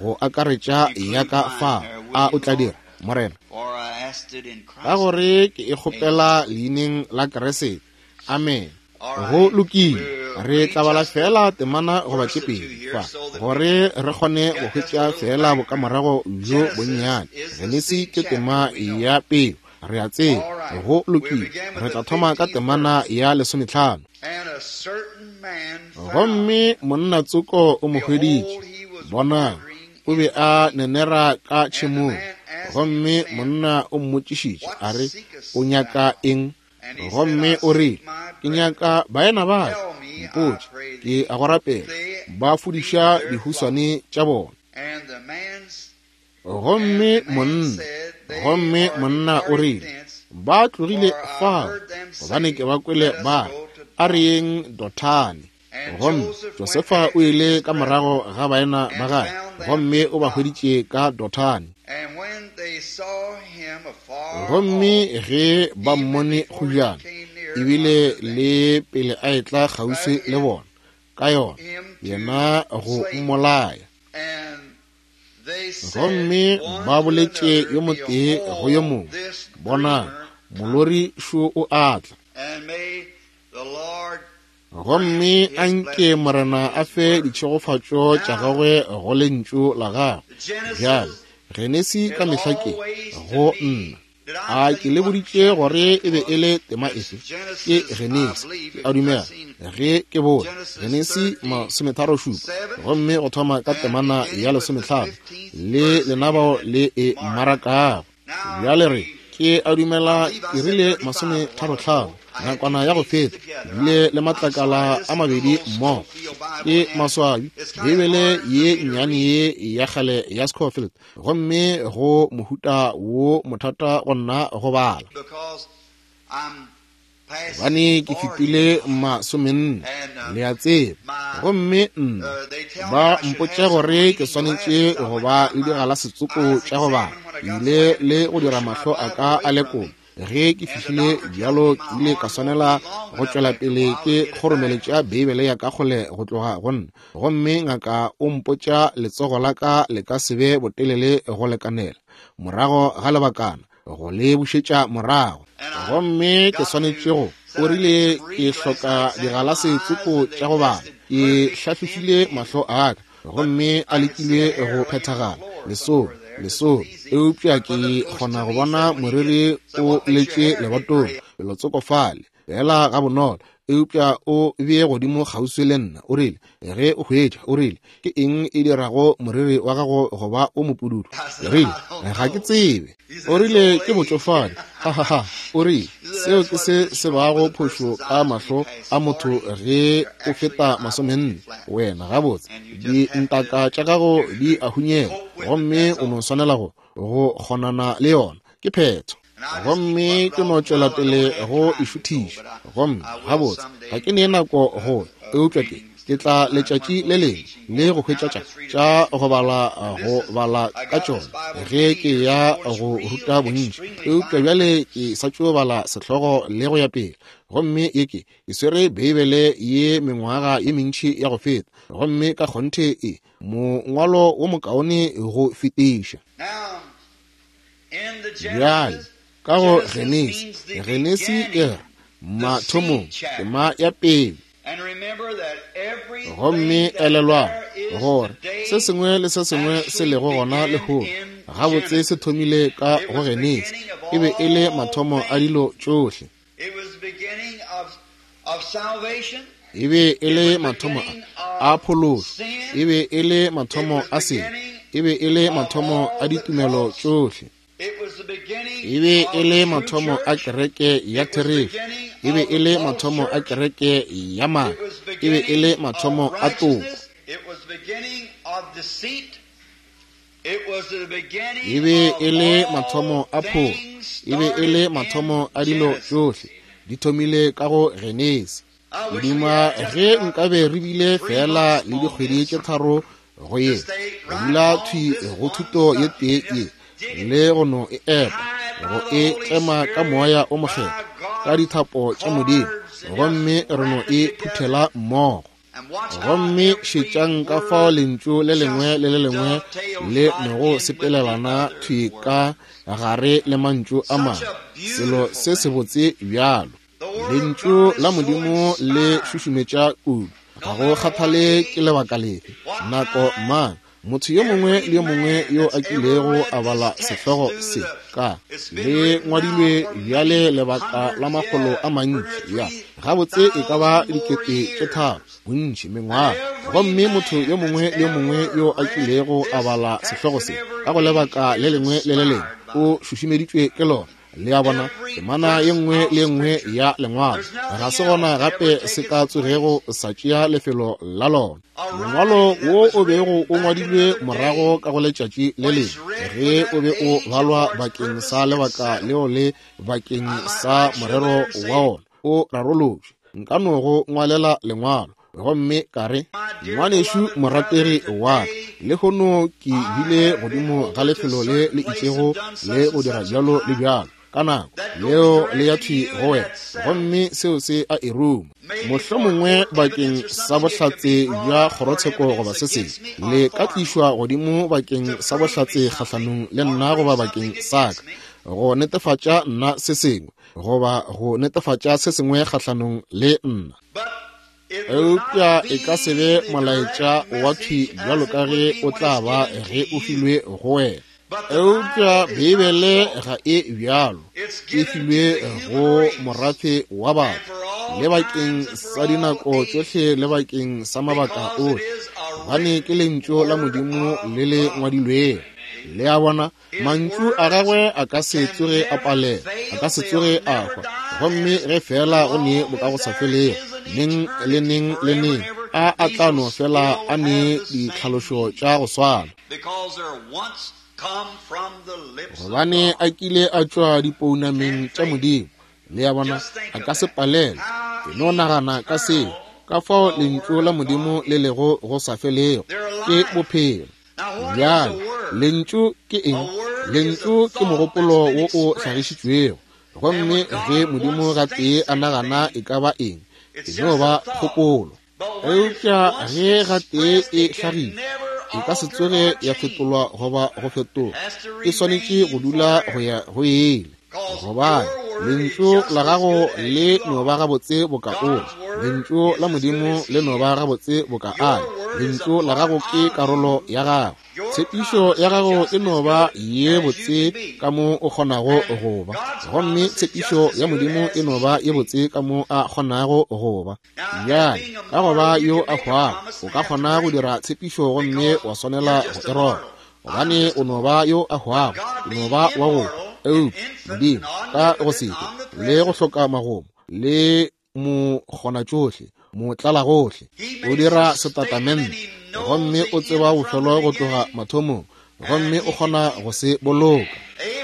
go akaretša ya ka fa. A o tla dira, Morena? Ka gore ke e kgopela leineng la Kriste. Amen. Go lokile. Re tla bala feela temana goba tše pedi fa, gore re kgone go hwetša feela bokamorago bjo bonnyane. Genesi ke tema ya peo. Re a tseba. Go lokile. Re tla thoma ka temana ya 15. Gomme monna tsoko o mo hweditše, bonang, o be a nenera ka tšhemong. Gomme monna o mmotšišitše, a re, O nyaka eng? Gomme o rile, Ke nyaka baena ba ka, mpotše, ke a go rapela, ba fudiša dihuswane tša bona. Gomme monna, gomme monna o rile, Ba tlogile fao, gobane ke ba kwele ba re, A re yeng Dothane. Gomme Josefa o ile ka morago ga baena ba gagwe, gomme o ba hweditše ka Dothane. Gomme ge ba mmone go bjana, ebile le pele a etla kgauswi le bona, ka yona, yena go mmolaya. Gomme ba boletše yo motee go yo mongwe, Bonang, molori šo o a tla. Gomme a nke Morena a fe ditšhegofatšo tša gagwe go Lentšu la gagwe. Bjale, Genesi ka mehla ke, go nna. A ke le boditše gore e be e le tema efe? Ke Genesi, ke a dumela, ge ke bone. Genesi 37, gomme go thoma ka temana ya 15, le lenabao le e mmarakago. Bjale re, ke a dumela ke rile 35, nakwana ya go feta, bile le matlakala a mabedi mmogo. Ke maswabi, Beibele ye nnyane ye ya kgale ya Scofield, gomme go mohuta wo mothata go nna go bala. Gobane ke fetile 40, le a tseba, gomme nna ba mpotša gore ke swanetše go ba le digalase tsoko tša go bala. Ke ile le go dira mahlo a ka a lekola. Ge ke fihlile bjalo, ke ile ka swanela go tšwela pele ke kgoromeletša Beibele ya ka kgole go tloga go nna. Gomme ngaka o mpotša letsogo la ka le ka se be botelele go lekanela, morago ga lebakana, go le bušetša morago. Gomme ke swanetše go, o rile ke hloka digalase tsoko tša go bala. Ke hlahlofile mahlo a ka, gomme a lekile go phethagala, lesome, lesome, eupša ke kgona go bona moriri o letše lebatong, felotsoko fale, feela gabonolo. Eupša o bee godimo kgauswi le nna, o rile, ge o hwetša, o rile, ke eng e dirago moriri wa gago go ba o mopududu? Ke rile, ga ke tsebe. O rile, ke botšofadi. Ha, ha, ha. O rile, seo ke se se bago phošo ka mahlo a motho ge o feta 40. Wena, gabotse, dintaka tša gago di a hunyela, gomme o no swanela go, go kgonana le yona. Ke phetho. Gomme ke no tšwela pele go e šuthiša. Gomme gabotse, ga ke ne nako go, eupša ke, ke tla letšatši le lengwe le go hwetša tša, tša go bala, go bala ka tšona ge ke ya go ruta bontši. Eupša bjale ke sa tšo bala sehlogo le go ya pele. Gomme ye ke, ke swere Beibele ye mengwaga ye mentši ya go feta, gomme ka kgonthe e mongwalo wo mokaone go fetiša. Bjale, ka go Genesi, Genesi e re, mathomong, tema ya pele. Gomme elelwang gore se sengwe le se sengwe se lego gona lehono gabotse se thomile ka go Genesi. E be e le mathomo a dilo tšohle. E be e le mathomo a phološo. E be e le mathomo a sebe. E be e le mathomo a ditumelo tšohle. E be e le mathomo a kereke ya therešo. E be e le mathomo a kereke ya maaka. E be e le mathomo a toko. E be e le mathomo a pholo. E be e le mathomo a dilo tšohle. Di thomile ka go Genesi. Modimo, ge nkabe re bile feela le dikgwedi tše 3 go ye, go dula thwi go thuto ye tee ye, le go no e epa, go e tlema ka Moya o Mokgethwa, ka dithapo tša Modimo, gomme re no e phuthela mmogo. Gomme šetšang ka fao lentšu le lengwe le le lengwe le nogo sepelelana thwi ka gare le mantšu a mangwe, selo se sebotse bjalo. Lentšu la Modimo le šušumetša kudu, ga go kgathale ke lebaka lefe, nako mang, motho yo mongwe le yo mongwe yo a kilego a bala sehlogo se ka le ngwadilwe bjale lebaka la makgolo a mantši, ya gabotse e ka ba 3 000 bontši mengwaga. Gomme motho yo mongwe le yo mongwe yo a kilego a bala sehlogo se ka go lebaka le lengwe le le lengwe o šušumeditšwe ke lona. Le a bona, temana ye nngwe le ye nngwe ya lengwalo ga se gona gape se ka tsogego sa tšea lefelo la lona. Mongwalo wo o bego o ngwadilwe morago ka go letšatši le lengwe, ge o be o balwa bakeng sa lebaka leo le bakeng sa morero wa ona, o rarolotšwe. Nka no go ngwalela lengwalo gomme ka re, Ngwanešu morategi wa ka, lehono ke bile godimo ga lefelo le le itšego le go dira bjalo le bjalo, ka nako leo le ya thwi go wena, gomme seo se a e ruma. Mohlomongwe bakeng sa bohlatse bja kgorotsheko goba se sengwe, le ka tlišwa godimo bakeng sa bohlatse kgahlanong le nna goba bakeng sa ka, go netefatša nna se sengwe, goba go netefatša se sengwe kgahlanong le nna. Eupša e ka se be molaetša wa thwi bjalo ka ge o tla ba ge o filwe go wena. Eupša Beibele ga e bjalo, e filwe go morafe wa batho, le bakeng sa dinako tšohle le bakeng sa mabaka ohle, gobane ke Lentšu la Modimo le le ngwadilwego. Le a bona? Mantšu a gagwe a ka se tsoge a palela, a ka se tsoge a hwa. Gomme ge feela go ne bokagosafelego, neng le neng le neng, a a tla no fela a ne ditlhalošo tša go swana. Gobane a kile a tšwa dipounameng tša Modimo. Le a bona, a ka se palelwe. Ke no nagana ka seo, ka fao Lentšu la Modimo le lego go sa felego. Ke bophelo. Bjale, lentšu ke eng? Lentšu ke mogopolo wo o hlagišitšwego. Gomme ge Modimo gatee a nagana e ka ba eng, e no ba kgopolo. Eupša ge gatee e hlagile, e ka se tsoge ya fetolwa goba go fetoga. E swanetše go dula go ya go ile. Gobane lentšu la gago le no ba gabotse boka o, lentšu la Modimo le no ba gabotse boka a. Lentšu la gago ke karolo ya gago. Tshepišo ya gago e no ba ye botse ka mo o kgonago go ba, gomme tshepišo ya Modimo e no ba ye botse ka mo a kgonago go ba. Bjale, ka go ba yo a hwago, o ka kgona go dira tshepišo gomme wa swanela go e roba, gobane o no ba yo a hwago, o no ba wa go hwa. Eupša Modimo, ka go se hwe le go hloka magomo le mokgonatšohle, motlalagohle, o dira setatamente, gomme o tseba bofelo go tloga mathomong, gomme o kgona go se boloka.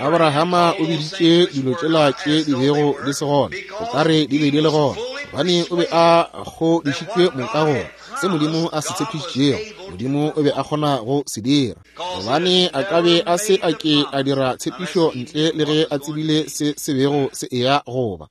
Abrahama o biditše dilo tšela tše di bego di se gona, o ka re di be di le gona, gobane o be a kgodišitšwe moka gore se Modimo a se tshepišitšego, Modimo o be a kgona go se dira, gobane a ka be a se a ke a dira tshepišo ntle le ge a tsebile se se bego se eya go ba.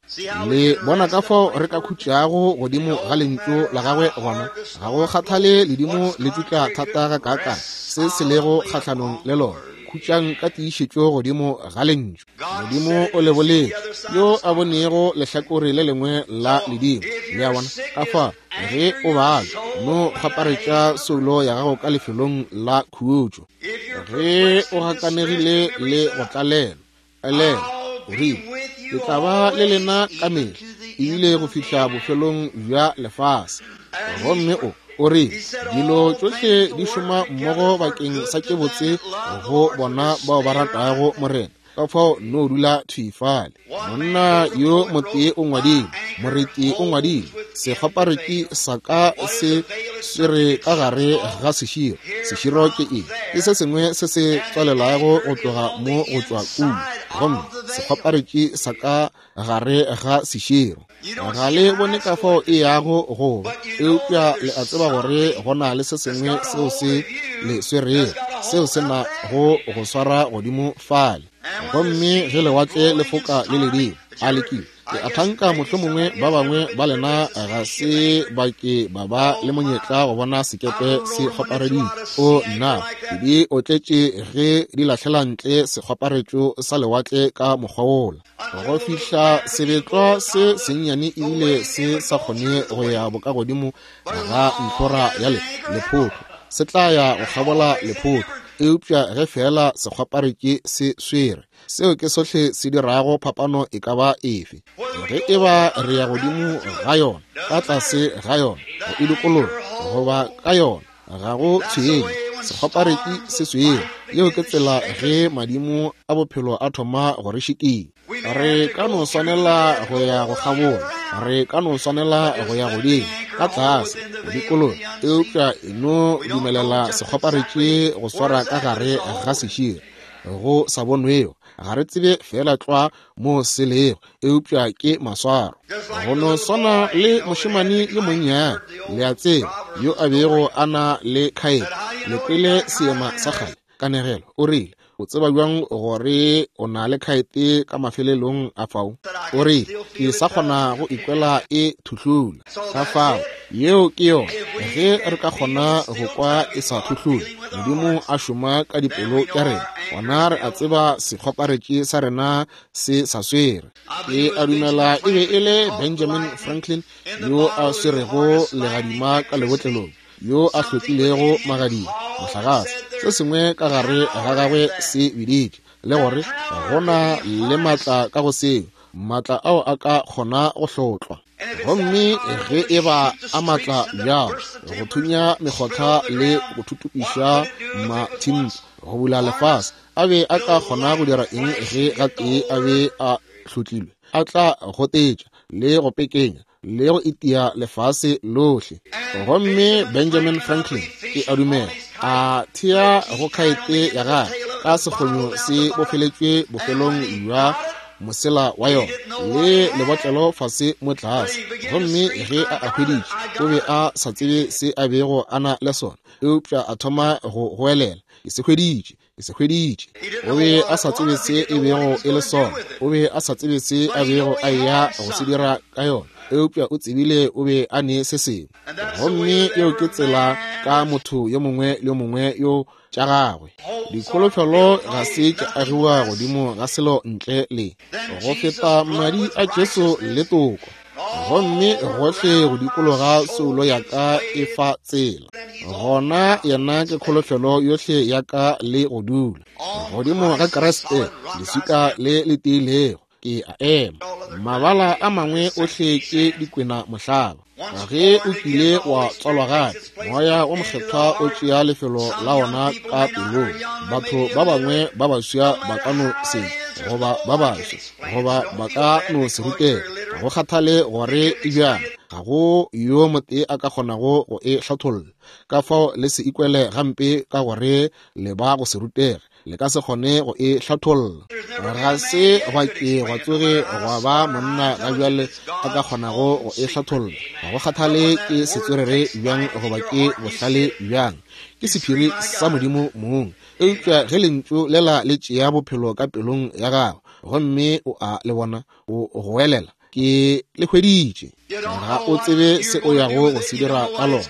Le bona ka fao re ka khutšago godimo ga Lentšu la Gagwe gona, ga go kgathale ledimo le tšutla thata gakaakang se se lego kgahlanong le lona, khutšang ka tiišetšo godimo ga Lentšu. Modimo o le boletše, yo a bonego lehlakore le lengwe la ledimo. Le a bona? Ka fa, ge o bala, no kgwaparetša soulo ya gago ka lefelong la khutšo. Ge o gakanegile le go tlalelwa, elelwa, o rile, Ke tla ba le lena ka mehla, ebile go fihla bofelong bja lefase. Gomme o, o rile, Dilo tšohle di šoma mmogo bakeng sa tše botse go bona bao ba ratago Morena. Ka fao no dula thwi fale. Monna yo motee o ngwadile, moreti o ngwadile, Sekgwaparetši sa ka se swere ka gare ga seširo. Seširo ke eng? Ke se sengwe se se tswalelago go tloga mo go tšwa kua. Gomme sekgwaparetši sa ka gare ga seširo. Ga le bone ka fao e yago go ba, eupša le a tseba gore go na le se sengwe seo se le swerego, seo se na go go swara godimo fale. Gomme ge lewatle le foka le ledimo, a le kile? Ke a thanka mohlomongwe ba bangwe ba lena ga se ba ke ba ba le monyetla go bona sekepe se kgwapareditše. O nna, di otletše ge di lahlela ntle sekgwaparetšo sa lewatle ka mokgwa wola. Go fihla sebetlwa se sennyane ebile se sa kgone go ya bokagodimo ga ntlhora ya le lephotho, se tla ya go kgabola lephotho, eupša ge feela sekgwaparetši se swere, seo ke sohle se dirago phapano e ka ba efe. Ge e ba re ya godimo ga yona, ka tlase ga yona, go e dikologa, goba ka yona, ga go tshwenye, sekgwaparetši se swere. Yeo ke tsela ge madimo a bophelo a thoma go re šikinya. Re ka no swanela go ya go kgabola, re ka no swanela go ya godimo, ka tlase, go dikologa, eupša e no dumelela sekgwaparetši go swara ka gare ga seširo. go sa bonwego. Ga re tsebe feela tlwa mo se lego, eupša ke maswaro. Go no swana le mošemane yo monnyane, le a tseba, yo a bego a na le khaete. Le kwele seema sa kgale, kanegelo. O rile, O tseba bjang gore o na le khaete ka mafelelong a fao? O rile, Ke sa kgona go ikwela e thuhlula. Ka fao, yeo ke yona. Ge re ka kgona go kwa e sa thuhlula, Modimo a šoma ka dipelo tša rena, gona re a tseba sekgoparetši sa rena se sa swere. Ke a dumela e be e le Benjamin Franklin yo a swerego legadima ka lebotlelong, yo a hlotlilego magadima, mohlagase, se sengwe ka gare ga gagwe se biditše, le gore go na le maatla ka go seo, maatla ao a ka kgona go hlotlwa. Gomme ge e ba a maatla bjalo, go thunya mekgotha le go thutupiša mathimpa, go bula lefase, a be a ka kgona go dira eng ge gatee a be a hlotlilwe? A tla gotetša le go pekenya le go itia lefase lohle. Gomme Benjamin Franklin, ke a dumela, a thea go khaete ya gagwe ka sekgonyo se bofeletšwe bofelong bja mosela wa yona le lebotlelo fase mo tlase. Gomme ge a a hweditše, o be a sa tsebe se a bego a na le sona, eupša a thoma go goelela, Ke se hweditše! Ke se hweditše. O be a sa tsebe se e bego e le sona. O be a sa tsebe se a bego a eya go se dira ka yona, eupša o tsebile o be a ne se sengwe. Gomme yeo ke tsela ka motho yo mongwe le yo mongwe yo tša gagwe. Dikholofelo ga se tša agiwa godimo ga selo ntle le go feta madi a Jesu le toko. Gomme gohle go dikologa soulo ya ka e fa tsela. Gona yena ke kholofelo yohle ya ka le go dula godimo ga Kriste, leswika le le tiilego. Ke a ema. Mabala a mangwe ohle ke dikwena mohlaba. Ge o kile wa tswalwa gape, Moya wo Mokgethwa o tšea lefelo la wona ka pelong. Batho ba bangwe ba baswa ba ka no se goba ba baswa, goba ba ka no se rutega. Ga go kgathale gore e bjang, ga go yo motee a ka kgonago go e hlatholla. Ka fao le se ikwele gampe ka gore le ba go se rutege. Le ka se kgone go e hlatholla. Ga se gwa ke gwa tsoge gwa ba monna ga bjale a ka kgonago go e hlatholla. Ga go kgathale ke setswerere bjang goba ke bohlale bjang, ke sephiri sa Modimo mong. Eupša ge Lentšu lela le tšea bophelo ka pelong ya gago, gomme o a le bona, o goelela, Ke le hweditše. Ga o tsebe se o yago go se dira ka lona.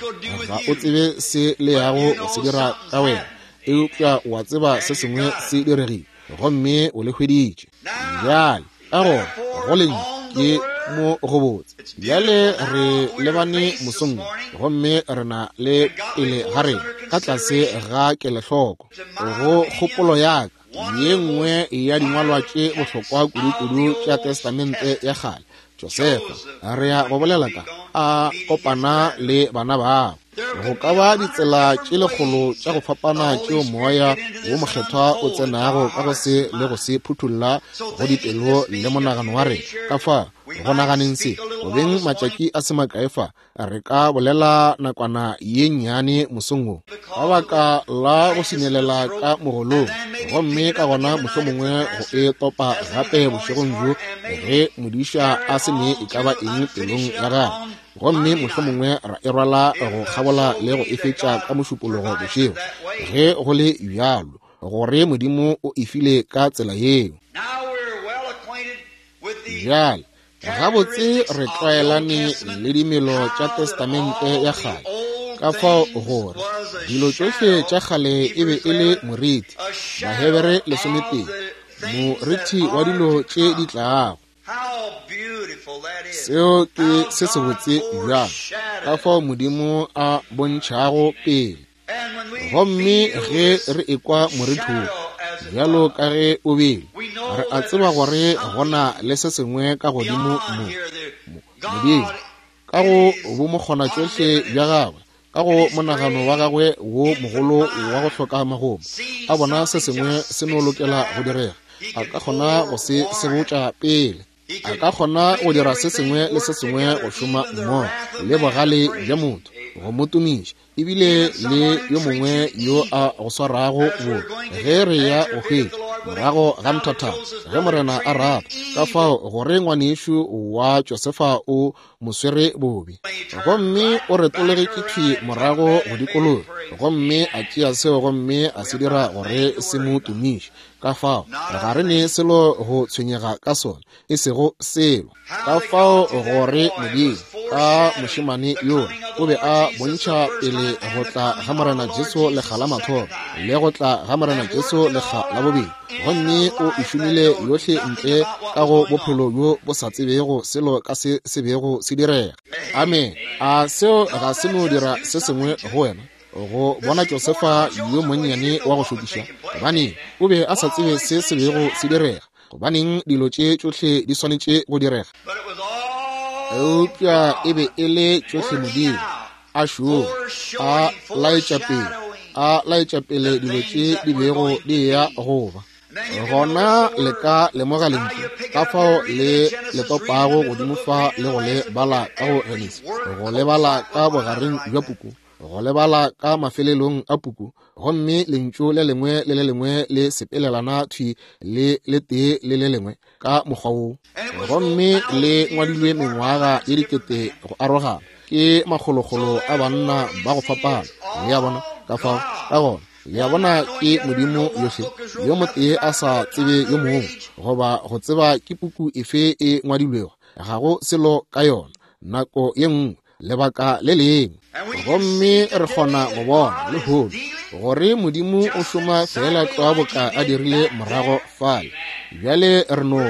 Ga o tsebe se le yago go se dira ka wena. Eupša o a tseba se sengwe se diregile, gomme o le hweditše. Bjale, ka gona, go lentšu ke mo gobotse. Bjale re lebane mosong wo, gomme re na le pele ga rena, ka tlase ga kelohloko, go kgopolo ya ka, Ye nngwe ya dingwalwa tše bohlokwa kudu-kudu tša Testamente ya Kgale, Josefa, re ya go bolela ka, a kopana le bana babo. Go ka ba ditsela tše lekgolo tša go fapana tšeo Moya wo Mokgethwa o tsenago ka go se le go se phuthulla go dipelo le monagano wa rena. Ka fa go naganeng se, go beng matšatši a se makae fa, Re ka bolela nakwana ye nnyane mosong wo, ka baka la go senyelela ka mogolong, gomme ka gona mohlomongwe go e topa gape bošegong bjo ge modiša a se ne e ka ba eng pelong ya gagwe, gomme mohlomongwe ra e rwala go kgabola le go e fetša ka Mošupologo bošego, ge go le bjalo, gore Modimo o e file ka tsela yeo. Bjale, Gabotse re tlwaelane le dimelo tša Testamente ya Kgale, ka fao gore dilo tšohle tša kgale e be e le moriti, Bahebere lesometee, moriti wa dilo tše di tlago. Seo ke se sebotse bjang, ka fao Modimo a bontšhago pele. Gomme ge re ekwa moriti wo, bjalo ka ge o bile, re a tseba gore go na le se sengwe ka godimo mo, mo, Modimo, ka go bomokgonatšohle bja Gagwe, ka go monagano wa Gagwe wo mogolo wa go hloka magomo, a bona se sengwe se no lokela go direga, A ka kgona go se sebotša pele. A ka kgona go dira se sengwe le se sengwe go šoma mmogo le bogale bja motho, go mo tumiša, ebile le yo mongwe yo a go swarago bo ge re ya go hwetša morago ga nthathana, ge Morena a rata. Ka fao gore ngwanešu wa Josefa o mo swere bobe, gomme o retologetše thwi morago go dikologa, gomme a tšea seo gomme a se dira gore se mo tumiše. Ka fao ga re ne selo go tshwenyega ka sona, e sego selo. Ka fao gore Modimo ka mošemane yo o be a bontšha pele go tla ga Morena Jesu lekga la mathomo le go tla ga Morena Jesu lekga la bobedi, gomme o e šomile yohle ntle ka go bophelo bjo bo sa tsebego selo ka se se bego se direga. Amen. A seo ga se no dira se sengwe go wena go bona Josefa yo monnyane wa go šokiša? Gobane o be a sa tsebe se se bego se direga. Gobaneng dilo tše tšohle di swanetše go direga? Eupša e be e le tšohle Modimo a šoma, a laetša pele, a laetša pele dilo tše di bego di eya go ba. Gona le ka lemoga lentšu, ka fao le le topago godimo fa le go le bala ka go Genesi, go le bala ka bogareng bja puku, go le bala ka mafelelong a puku, gomme lentšu le lengwe le le lengwe le sepelelana thwi le le tee le le lengwe ka mokgwa wo, gomme le ngwadilwe mengwaga ye dikete go arogana ke makgolokgolo a banna ba go fapana. Le a bona? Ka fao ka gona le a bona ke Modimo yohle, yo motee a sa tsebe yo mongwe, goba go tseba ke puku efe e ngwadilwego, ga go selo ka yona nako ye nngwe, lebaka le lengwe. Gomme re kgona go bona lehono gore Modimo o šoma feela tlwa boka a dirile morago fale. Bjale re no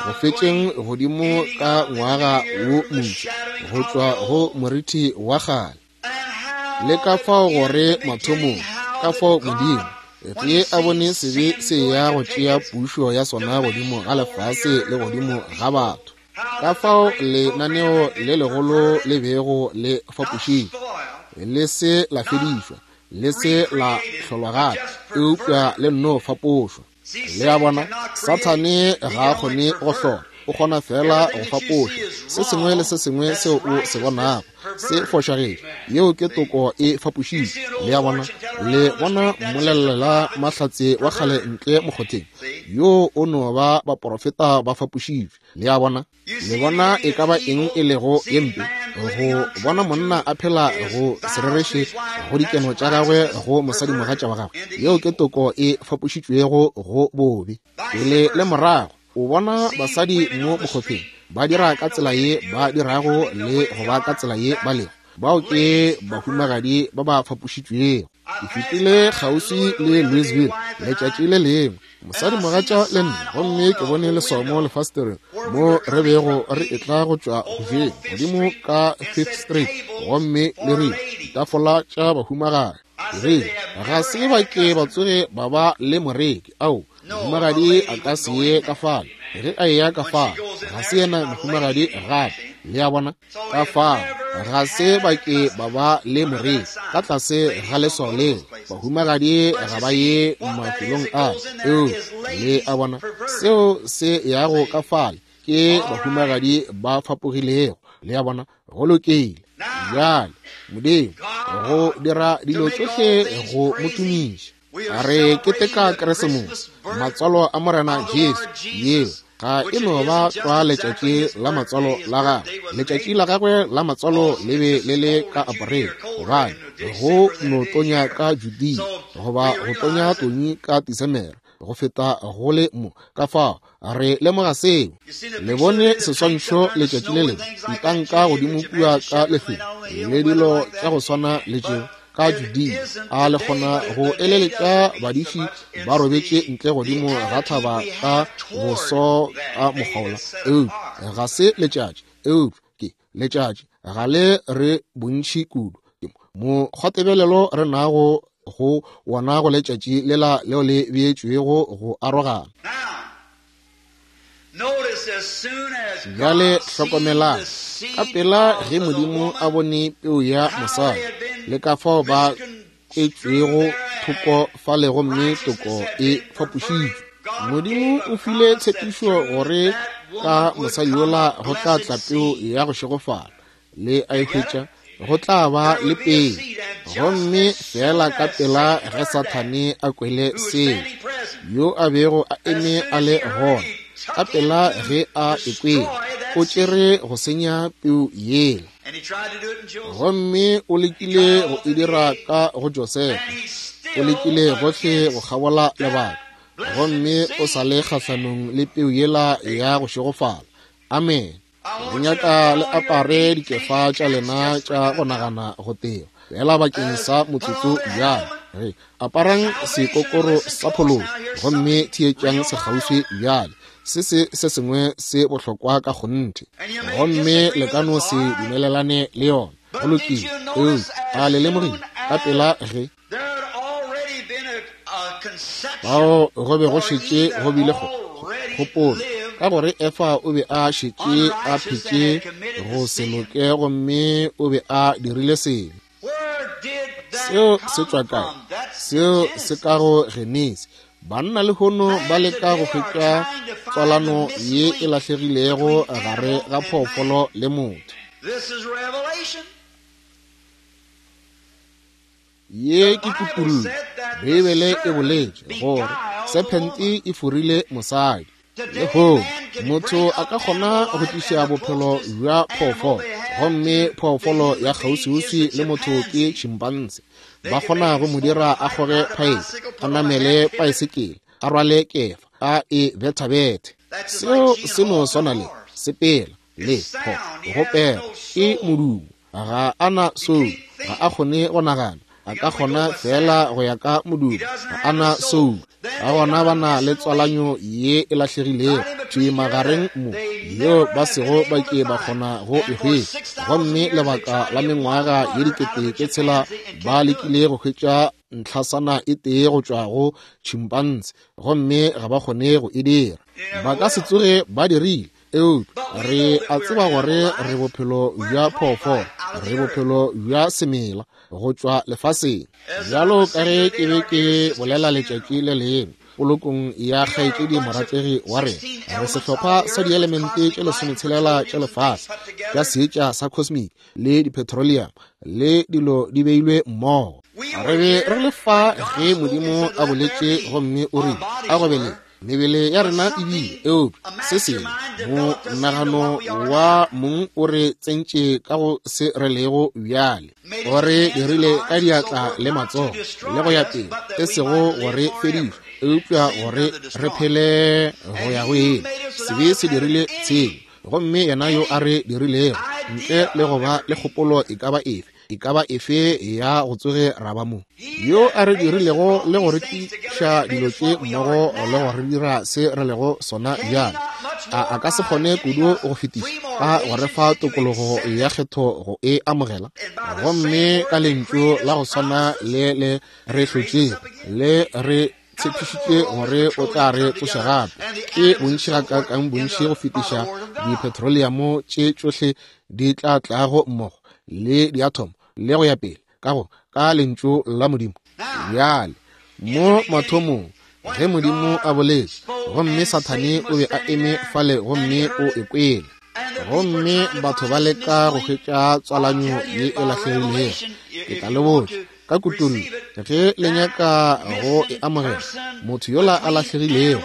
go fetšeng godimo ka ngwaga wo montši go tšwa go moriti wa kgale, le ka fao gore mathomong, ka fao Modimo ge a bone sebe se ya go tšea pušo ya sona godimo ga lefase le godimo ga batho, ka fao lenaneo le legolo le bego le fapošitšwe, le se la fedišwa, le se la hlolwa gape, eupša le nno fapošwa. Le a bona, Sathane ga a kgone go hlola, o kgona fela go fapoša. Se sengwe le se sengwe seo o se bonago se fošagetše, yeo ke toko e fapošitšwe. Le a bona, le bona mmolelela mahlatse wa kgale ntle mokgotheng, yoo o no ba baporofeta ba fapošitšwe. Le a bona, le bona e ka ba eng e lego ye mpe, go bona monna a phela go se rereše go dikeno tša gagwe go mosadimogatša wa gagwe, yeo ke toko e fapošitšwego go bobe. Pele le morago o bona basadi mo mokgotheng ba dira ka tsela ye ba dirago le go ba ka tsela ye ba lego, bao ke bahumagadi ba ba fapošitšwego. Ke fetile kgauswi le Louisville letšatši le lengwe, mosadimogatša le nna, gomme ke bone leswao mo lefastereng mo re bego re etla go tšwa go jeng godimo ka Fifth Street, gomme le rile ditafola tša bahumagadi. Ke rile ga se ba ke ba tsoge ba ba le moreki. Ao, mohumagadi a ka se ye ka fale. Ge a eya ka fale, ga se yena mohumagadi gape. Le a bona? Ka fao ga se ba ke ba ba le moreki ka tlase ga leswao leo. Bahumagadi ga ba ye mafelong a eo. Le a bona? Seo se yago ka fale ke bahumagadi ba fapogilego. Le a bona? Go lokile. Bjale Modimo go dira dilo tšohle go mo tumiša. Re keteka Keresemose, matswalo a Morena Jesu. Yeo ga e no ba tlwa letšatši la matswalo la gagwe. Letšatši la gagwe la matswalo le be le le ka April, gobane go no tonya ka Judea goba go tonya tonyi ka Disemere go feta go le mo. Ka fao re lemoga seo. Le bone seswantšho letšatši le lengwe, ntanka godimo kua ka lehlweng le dilo tša go swana le tšeo ka Judea. A le kgona go eleletša badiši ba robetše ntle godimo ga thaba ka boso ka mokgwa wola? Eupša ga se letšatši, eupša ke letšatši ga le re bontši kudu. Mokgwatebelelo re nago go wona go letšatši lela leo le beetšwego go arogana. Bjale hlokomelang, ka pela ge Modimo a bone peu ya mosadi le ka fao ba kwetšwego thoko fale gomme toko e fapošitšwe, Modimo o file tshepišo gore ka mosadi yola go tla tla peu ya go šegofala. Le a e hwetša? go tla ba le peu. Gomme feela ka pela ge Sathane a kwele seo, yo a bego a eme a le gona, ka pela ge a e kwele, o tšere go senya peu yela. Gomme o lekile go e dira ka go Josefa, o lekile gohle go kgabola lebaka, gomme o sa le kgahlanong le peu yela ya go šegofala. Amen. Go nyaka le apare dikefa tša lena tša go nagana go teba fela bakeng sa motsotso bjale. Re aparang sekokoro sa phološo gomme theetšang sekgauswi bjale. Se se se sengwe se bohlokwa ka kgonthe, gomme le ka no se dumelelane le yona. Go lokile. Eupša a le lemogile ka pela ge bao go be go šetše go bile kgopolo, ka gore Efa o be a šetše a phetše go se loke gomme o be a dirile sebe. Seo se tšwa kae? Seo se ka go Genesi. Banna lehono ba leka go hwetša tswalano ye e lahlegilego gare ga phoofolo le motho. Ye ke kutollo. Beibele e boletše gore sephente e forile mosadi. Lehono motho a ka kgona go tliša bophelo bja phoofolo, gomme phoofolo ya kgauswiuswi le motho ke chimpanse. Ba kgona go mo dira a kgoge phaepe, a namele paesekele, a rwale kefa, a e bethabethe. Seo se no swana le sepela le go pela ke modumo. Ga a na soul, ga a kgone go nagana, a ka kgona fela go ya ka modumo, ga a na soul. Ka gona ba na le tswalanyo ye e lahlegilego thwi magareng mo, yeo ba sego ba ke ba kgona go e hwetša. Gomme lebaka la mengwaga ye 6000 ba lekile go hwetša ntlhasana e tee go tšwa go chimpanse, gomme ga ba kgone go e dira. Ba ka se tsoge ba dirile. Eupša re a tseba gore re bophelo bja phoofolo, re bophelo bja semela go tšwa lefaseng. Bjalo ka ge ke be ke bolela letšatši le lengwe polokong ya kgaetšedi morategi wa rena, re sehlopha sa dielemente tše 16 tša lefase tša seetša sa cosmic le dipetroleum le dilo di beilwe mmogo. Re be re le fa ge Modimo a boletše gomme o rile, a go be le mebele ya rena e bile, eupša se sengwe monagano wa mong o re tsentše ka go se re lego bjale, o re dirile ka diatla le matsogo le go ya pele, e sego gore fediša, eupša gore re phele go ya go ile. Sebe se dirile tshenyo, gomme yena yo a re dirilego ntle le go ba le kgopolo e ka ba efe, e ka ba efe ya go tsoge ra ba mo, yo a re dirilego le go re tliša dilo tše mmogo le go re dira se re lego sona bjale, a ka se kgone kudu go fetiša ka go re fa tokologo ya kgetho go e amogela? Gomme ka lentšu la go swana le le re hlotšego le re tshepišitše gore o tla re tsoša gape, ke bontši gakaakang bontši go fetiša dipetroleamo tše tšohle di tla tlago mmogo le diathomo le go ya pele ka go ka lentšu la Modimo. Bjale mo mathomong ge Modimo a boletše, gomme Sathane o be a eme fale gomme o e kwele, gomme batho ba leka go hwetša tswalanyo ye e lahlegilego. Ke tla le botša ka kutollo, ge le nyaka go e amogela, motho yola a lahlegilego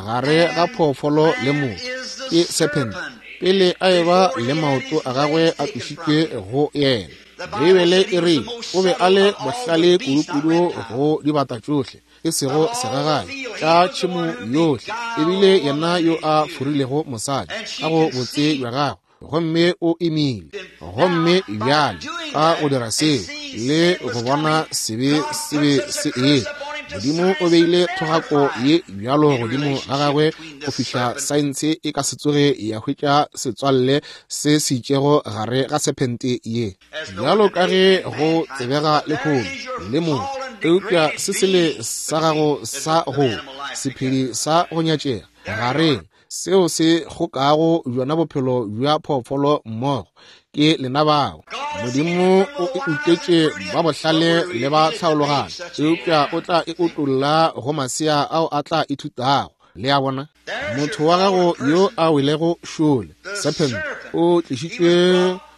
gare ga phoofolo le motho ke serpent, pele a eba le maoto a gagwe a tlošitšwe go yena. Beibele e re o be a le bohlale kudukudu go dibata tšohle, e sego segagane tša tšhemo yohle, ebile yena yo a forilego mosadi ka go botse bja gagwe, gomme o imile. Gomme bjale ka go dira seo le go bona sebe se be se etla, Modimo o beile thogako ye bjalo godimo ga gagwe go fihla saense e ka se tsoge ya hwetša setswalle se se itšego gare ga sephente ye, bjalo ka ge go tsebega lehono le motho. Eupša se sele sa gago sa go sephedi sa go nyatšega gareng, seo se kgokago bjona bophelo bja phoofolo mmogo, ke lena bao. Modimo o e utetše ba bohlale le ba tlhaologano, eupša o tla e utolla go masea ao a tla ithutago. Le a bona, motho wa gago yo a welego šole, serpent, o tlišitšwe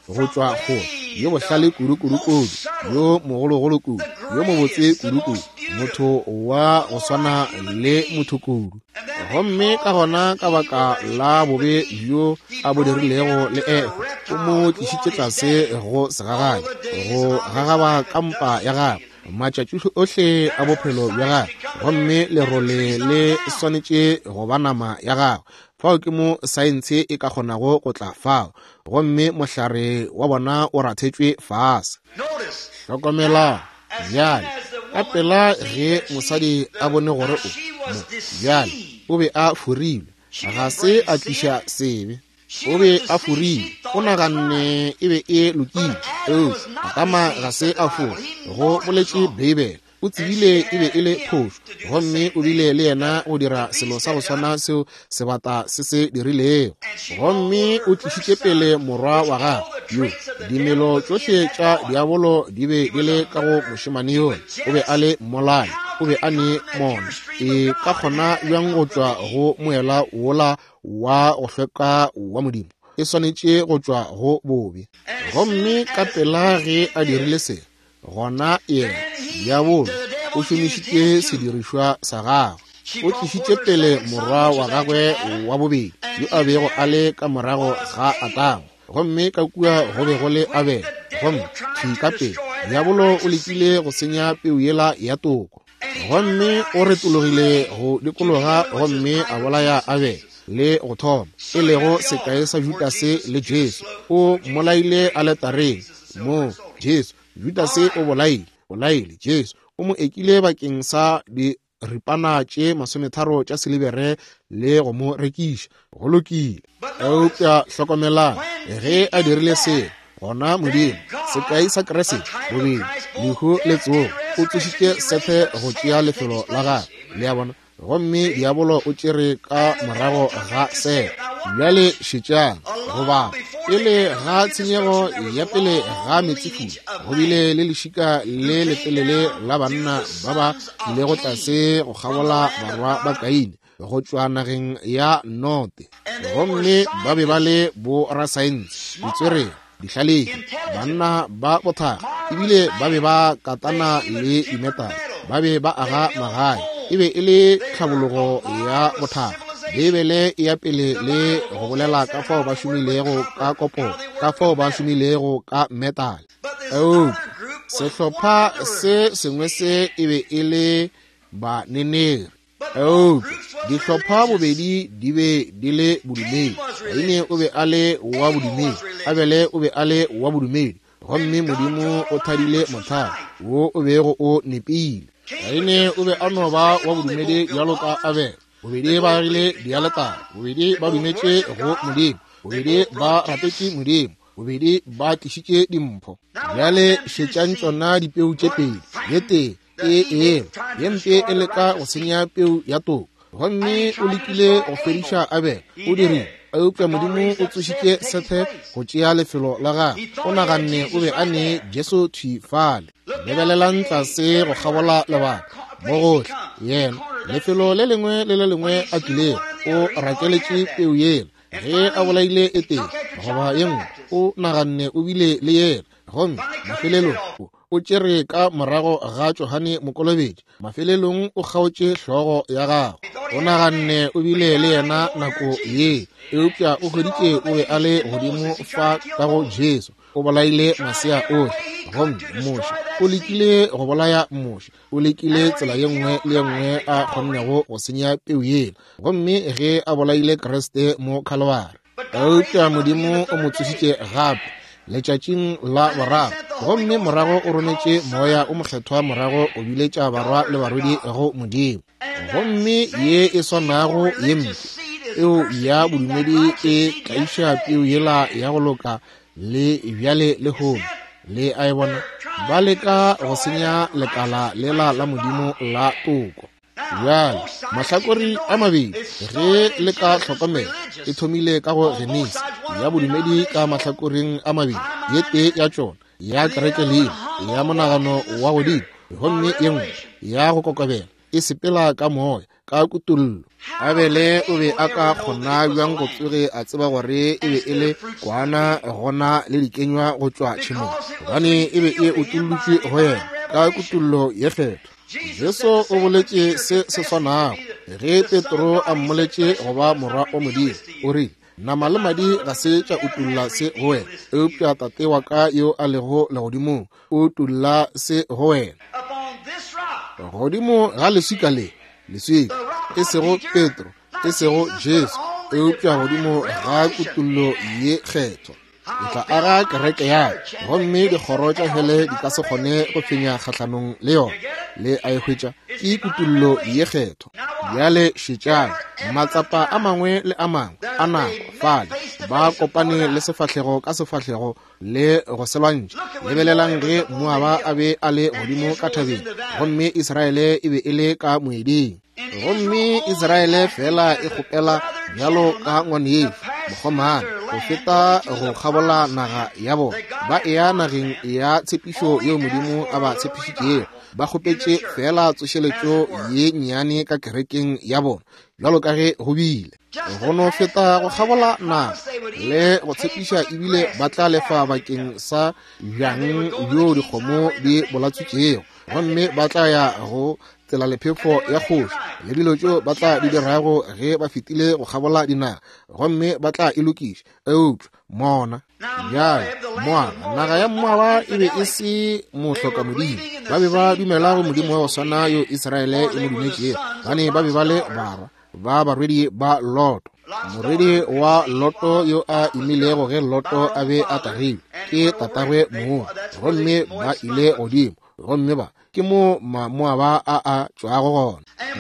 go tšwa kgole. yo bohlale kudu-kudu-kudu, yo mogologolo kudu, yo mobotse kudu-kudu, motho wa go swana le motho kudu. Gomme ka gona ka baka la bobe bjo a bo dirilego le Efa, o mo tlišitše tlase go segagabi, go gagaba ka mpa ya gagwe matšatši ohle a bophelo bja gagwe, gomme lerole le swanetše go ba nama ya gagwe. Fao ke mo saense e ka kgonago go tla fao, gomme mohlare wa bona o rathetšwe fase. Hlokomela bjale, ka pela ge mosadi a bone gore o mo, bjale o be a forilwe, ga se a tliša sebe, o be a forilwe, o naganne e be e lokile, eupša Adama ga se a fora, go boletše Beibele. O tsebile e be e le phošo, gomme o bile le yena go dira selo sa go swana seo sebata se se dirilego. Gomme o tlišitše pele morwa wa gagwe yo dimelo tšohle tša diabolo di be di le ka go mošemane yola. O be a le mmolai, o be a ne mona. E ka kgona bjang go tšwa go moela wola wa go hlweka wa Modimo? E swanetše go tšwa go bobe. Gomme ka pela ge a dirile se, gona yena diabolo o šomišitše sedirišwa sa gagwe. O tlišitše pele morwa wa gagwe wa bobedi yo a bego a le ka morago ga Adama, gomme ka kua go be go le Abele. Gomme thwi ka pele diabolo o lekile go senya peu yela ya toko, gomme o retologile go dikologa gomme a bolaya Abele le go thoma, e lego sekai sa Judase le Jesu. O mmolaile aletareng mo Jesu. Judase o bolaile, bolaile Jesu, o mo ekile bakeng sa diripana tše 30 tša silibere le go mo rekiša. Go lokile. Eupša hlokomelang, ge a dirile se, gona Modimo, sekai sa Kriste, bobedi lehu le tsogo, o tsošitše Sethe go tšea lefelo la gagwe. Le a bona? Gomme diabolo o tšere ka morago ga Sethe. Bjale šetšang, goba pele ga tshenyego ya pele ga meetsefula, go bile le lešika le letelele la banna ba ba tlilego tlase go kgabola barwa ba Kaine go tšwa nageng ya Note, gomme ba be ba le borasaense, ditswerere, dihlalefi, banna ba bothakga, ebile ba be ba katana le dimetale, ba be ba aga magae. E be e le tlhabologo ya bothakga. Beibele e ya pele le go bolela ka fao ba šomilego ka koporo, ka fao ba šomilego ka metale. Eupša sehlopha se sengwe se e be e le baneneri. Eupša dihlopha bobedi di be di le bodumedi. Kaine o be a le wa bodumedi, Abele o be a le wa bodumedi, gomme Modimo o thadile mohlare wo o bego o nepile. Kaine o be a no ba wa bodumedi bjalo ka Abele. Bobedi ba agile dialetare, bobedi ba dumetše go Modimo, bobedi ba rapetše Modimo, bobedi ba tlišitše dimpho. Bjale šetšang tšona dipeu tše pedi, ye tee e ela, ye mpe e leka go senya peu ya toko, gomme o lekile go fediša Abele, o dirile, eupša Modimo o tsošitše Sethe go tšea lefelo la gagwe. O naganne o be a ne Jesu thwi fale. Lebelelang tlase go kgabola lebaka mo gohle, yena lefelo le lengwe le le lengwe a tlilego, o rakeletše peu yela. Ge a bolaile e tee goba ye nngwe, o naganne o bile le yela, gomme mafelelong o tšere ka morago ga Johane Mokolobetši, mafelelong o kgaotše hlogo ya gagwe. O naganne o bile le yena nako ye, eupša o hweditše o be a le godimo fa ka go Jesu. O bolaile masea ohle, gomme Moshe o lekile go bolaya Moshe. O lekile tsela ye nngwe le ye nngwe a kgonnego go senya peu yela, gomme ge a bolaile Kriste mo Khalwari, eupša Modimo o mo tsošitše gape letšatšing la boraro, gomme morago o rometše Moya o Mokgethwa morago o biletša barwa le barwedi go Modimo. Gomme ye e swanago ye mpe peo ya bodumedi e tlaiša peu yela ya go loka le bjale lehono. Le a e bona? Ba leka go senya lekala lela la Modimo la toko. Bjale mahlakore a mabedi, ge le ka hlokomela, e thomile ka go Genesi ya bodumedi ka mahlakoreng a mabedi, ye tee ya tšona ya kereke leina ya monagano wa godimo, gomme ye nngwe ya go kokobela e sepela ka moya. ka kutollo. Abele o be a ka kgona bjang go tsoge a tseba gore e be e le kwana gona le dikenywa go tšwa tšhemong? Gobane e be e utollotšwe go yena ka kutollo ye kgethwa. Jesu o boletše se se swanago ge Petro a mmoletše go ba morwa wa Modimo. O rile, Nama le madi ga se tša utolla se go wena, eupša Tate wa ka yo a lego legodimong o utolla se go wena. Godimo ga leswika le, leswika, e sego Petro, e sego Jesu, eupša godimo ga kutollo ye kgethwa, ke tla aga kereke ya ka, gomme dikgoro tša hele di ka se kgone go fenya kgahlanong le yona. Le a e hwetša? Ke kutollo ye kgethwa. Bjale šetšang, matsapa a mangwe le a mangwe a nako fale, ba kopane le sefahlego ka sefahlego le go se lwantšha. Lebelelang ge Moaba a be a le godimo ka thabeng, gomme Israele e be e le ka moeding. Gomme Israele fela e kgopela bjalo ka ngwanešu mokgomana go feta go kgabola naga ya bona, ba eya nageng ya tshepišo yeo Modimo a ba tshepišitšego. Ba kgopetše fela tsošeletšo ye nnyane ka kerekeng ya bona, bjalo ka ge go bile. Go no feta go kgabola naga le go tshepiša, ebile ba tla lefa bakeng sa bjang bjo dikgomo di bolatswitšego, gomme ba tla ya go tsela lephefo ya kgoši le dilo tšeo ba tla di dirago ge ba fetile go kgabola dinaga, gomme ba tla e lokiša. Eupša mona bjale, Moaba, naga ya Moaba e be e se mohlokamodimo. Ba be ba dumela go Modimo wa go swana yo Israele e mo dumetšego, gobane ba be ba le barwa ba barwedi ba Loto. Morwedi wa Loto yo a imilego ge Loto a be a tagilwe ke tatagwe mong, gomme ba ile godimo, gomme ba ke mo Mamoaba a a tšwago gona.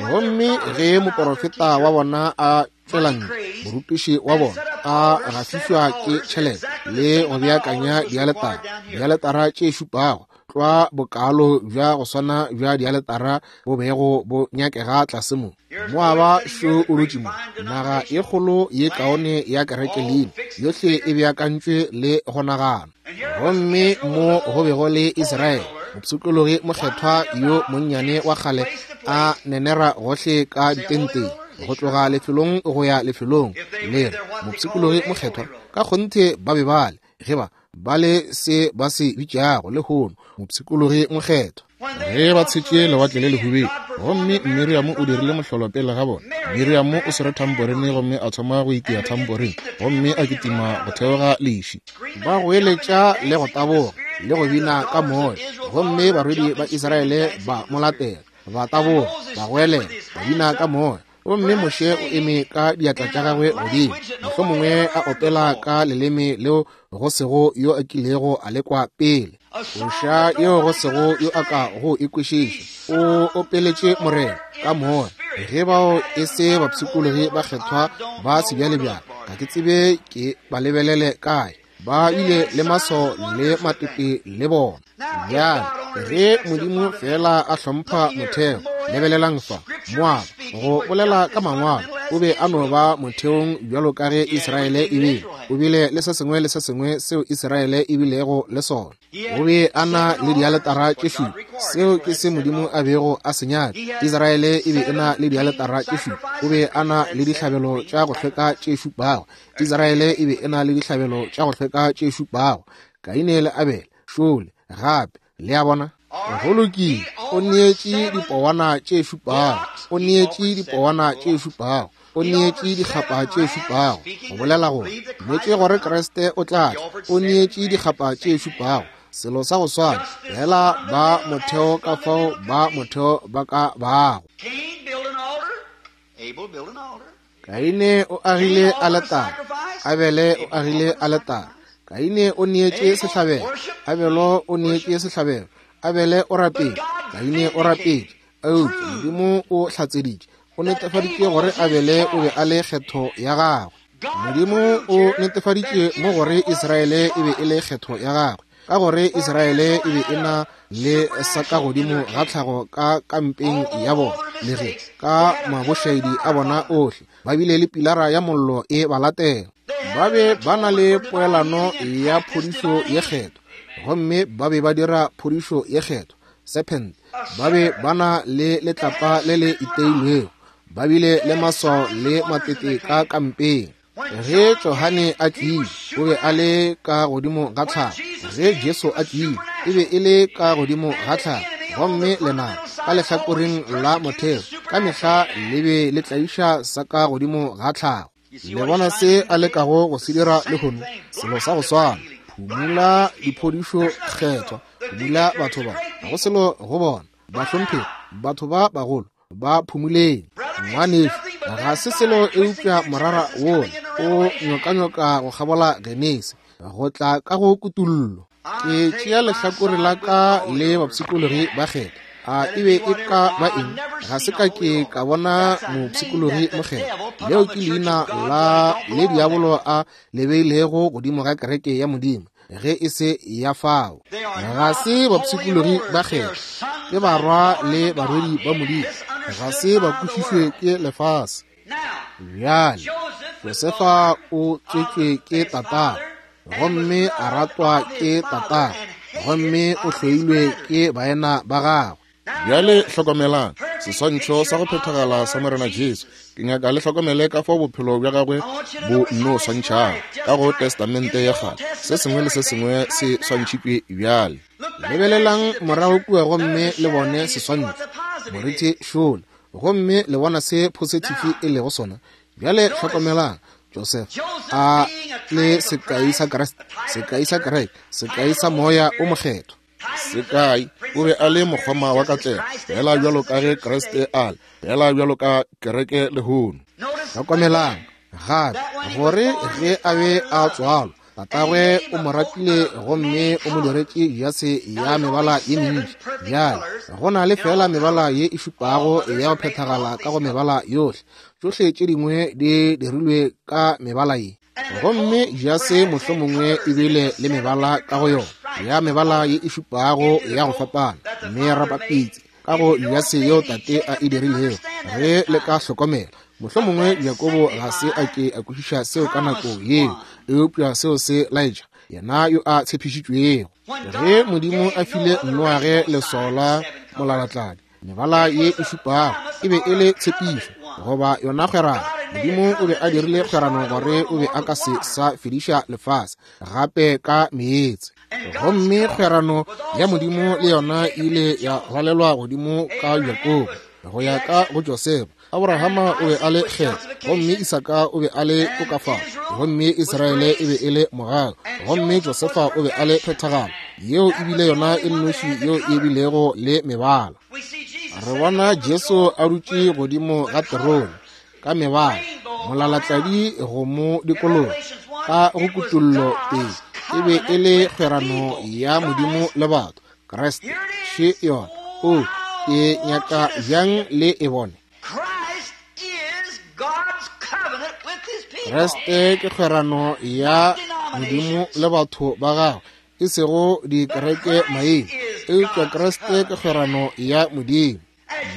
Gomme ge moporofeta wa bona a tšwela ntle, morutiši wa bona a gafišwa ke tšhelete le go beakanya dialetara, dialetara tše šupago, tlwa bokalo bja go swana bja dialetara bo bego bo nyakega tlase mo. Moaba šo o dutše mo, naga ye kgolo ye kaone ya kereke leina, yohle e beakantšwe le go nagana. Gomme mo go bego le Israele, mopshikologi mokgethwa yo monnyane wa kgale a nenera gohle ka ditenteng, go tloga lefelong go ya lefelong, le re, mopshikologi mokgethwa, ka kgonthe ba be ba le, ge ba ba le se ba se bitšago lehono mopshikologi mokgethwa. Ge ba tshetše Lewatle le Lehubedu, gomme Miriamo o dirile mohlolo pele ga bona. Miriamo o swere thamporine gomme a thoma go itia thamporine, gomme a kitima go theoga leši. Ba goeletša le go taboga le go bina ka moya, gomme barwedi ba Israele ba mo latela, ba taboga, ba goelela, ba bina ka moya. Gomme Moshe o eme ka diatla tša gagwe godimo, mohlomongwe a opela ka leleme leo go sego yo a kilego a lekwa pele, koša yeo go sego yo a ka go e kwešiša. O opeletše Morena ka moya. Ge bao e se bapshikologi ba kgethwa ba sebjalebjale, ga ke tsebe ke ba lebelele kae. Ba bile le maso le matepe le bona. Bjale, ge Modimo feela a hlompha motheo, lebelelang fa, Moaba, go bolela ka mangwalo, o be a no ba motheong bjalo ka ge Israele e bile. O bile le se sengwe le se sengwe seo Israele e bilego le sona. O be a na le dialetara tše šupa. Seo ke se Modimo a bego a se nyaka. Israele e be e na le dialetara tše šupa. O be a na le dihlabelo tša go hlweka tše šupago. Israele e be e na le dihlabelo tša go hlweka tše šupago. Kaine le Abele, šole, gape. Le a bona? Go lokile. O neetše dipowana tše šupago. O neetše dipowana tše šupago. O neetše dikgapa tše šupago. Go bolela gore, dumetše gore Kriste o tla tla. O neetše dikgapa tše šupago. Selo sa go swana, fela ba motheo ka fao ba motheo ba ka bago. Kaine o agile aletare, Abele o agile aletare. Kaine o neetše sehlabelo, Abelo o neetše sehlabelo. Abele o rapetše, Kaine o rapetše. Eupša Modimo o hlatseditše, o netefaditše gore Abele o be a le kgetho ya gagwe. Modimo o netefaditše mo gore Israele e be e le kgetho ya gagwe, ka gore Israele e be e na le sa ka godimo ga tlhago ka kampeng ya bona, le ge ka mabošaedi a bona ohle ba bile le pilara ya mollo e ba latela. Ba be ba na le poelano ya phodišo ye kgethwa, gomme ba be ba dira phodišo ye kgethwa. Serpent, ba be ba na le letlapa le le iteilwego. Ba bile le maswao le matete ka kampeng. Ge Johane a tlile, o be a le ka godimo ga tlhago. Ge Jesu a tlile, e be e le ka godimo ga tlhago. Gomme lenaba ka lehlakoreng la motheo ka mehla le be le tlaiša sa ka godimo ga tlhago. Le bona se a lekago go se dira lehono? Selo sa go swana. Phumula diphodišo kgethwa, phumula batho ba, ga go selo go bona. Bahlomphegi, batho ba bagolo, ba phumuleng. Ngwanešu, ga se selo eupša morara wola o nyokanyoka go kgabola Genesi, go tla ka go kutullo. Ke tšea lehlakore la ka le bapshikologi ba kgetha. A e be e ka ba eng? Ga se ka ke ka bona mopshikologi mokgethwa. Leo ke leina la le diabolo a le beilego godimo ga kereke ya Modimo, ge e se ya fao. Ga se bapshikologi ba kgetha, ke barwa le barwedi ba Modimo. Ga se ba kwešišwe ke lefase. Bjale, Josefa o tswetšwe ke tatagwe, gomme a ratwa ke tatagwe, gomme o hloilwe ke baena ba gagwe. Bjale hlokomelang seswantšho sa go phethagala sa Morena Jesu. Ke nyaka le hlokomele ka fao bophelo bja gagwe bo nno swantšhago ka go Testamente ya Kgale. Se sengwe le se sengwe se swantšhitšwe bjale. Lebelelang morago kua gomme le bone seswantšho, moriti šola, gomme le bona se phosithifi e lego sona. Bjale hlokomelang Joseph a le sekai sa Kriste, sekai sa kereke, sekai sa Moya o Mokgethwa. Sekai, o be a le mokgoma wa katlego, fela bjalo ka ge Kriste a le, fela bjalo ka kereke lehono. Hlokomelang gape gore ge a be a tswalwa, tatagwe o mo ratile gomme o mo diretše jase ya mebala ye mentši. Bjale go na le fela mebala ye e šupago ya go phethagala ka go mebala yohle. Tšohle tše dingwe di dirilwe ka mebala ye. Gomme jase mohlomongwe e bile le mebala ka go yona, ya mebala ye e šupago ya go fapana, merapapitsi ka go jase yeo tate a e dirilego. Ge le ka hlokomela, mohlomongwe Jakobo ga se a ke a kwešiša seo ka nako yeo, eupša seo se laetša yena yo a tshepišitšwego. Ge Modimo a file Noage leswao la molalatladi, mebala ye e šupago e be e le tshepišo goba yona kgwerano. Modimo o be a dirile kgwerano gore o be a ka se sa fediša lefase gape ka meetse. Gomme kgwerano ya Modimo le yona e ile ya rwalelwa godimo ka Jakobo go ya ka go Josefa. Abrahama o be a le kgetho, gomme Isaka o be a le tokafatšo, gomme Israele e be e le mogau, gomme Josefa o be a le phethagalo. Yeo e bile yona e nnoši yeo e bilego le mebala. Re bona Jesu a dutše godimo ga terone ka mebala, molalatladi go mo dikologa ka go kutollo pele. E be e le kgwerano ya Modimo le batho, Kriste še yona. O, ke nyaka bjang le e bone. Kriste ke kgwerano ya Modimo le batho ba gagwe, e sego dikereke maina, eupša Kriste ke kgwerano ya Modimo.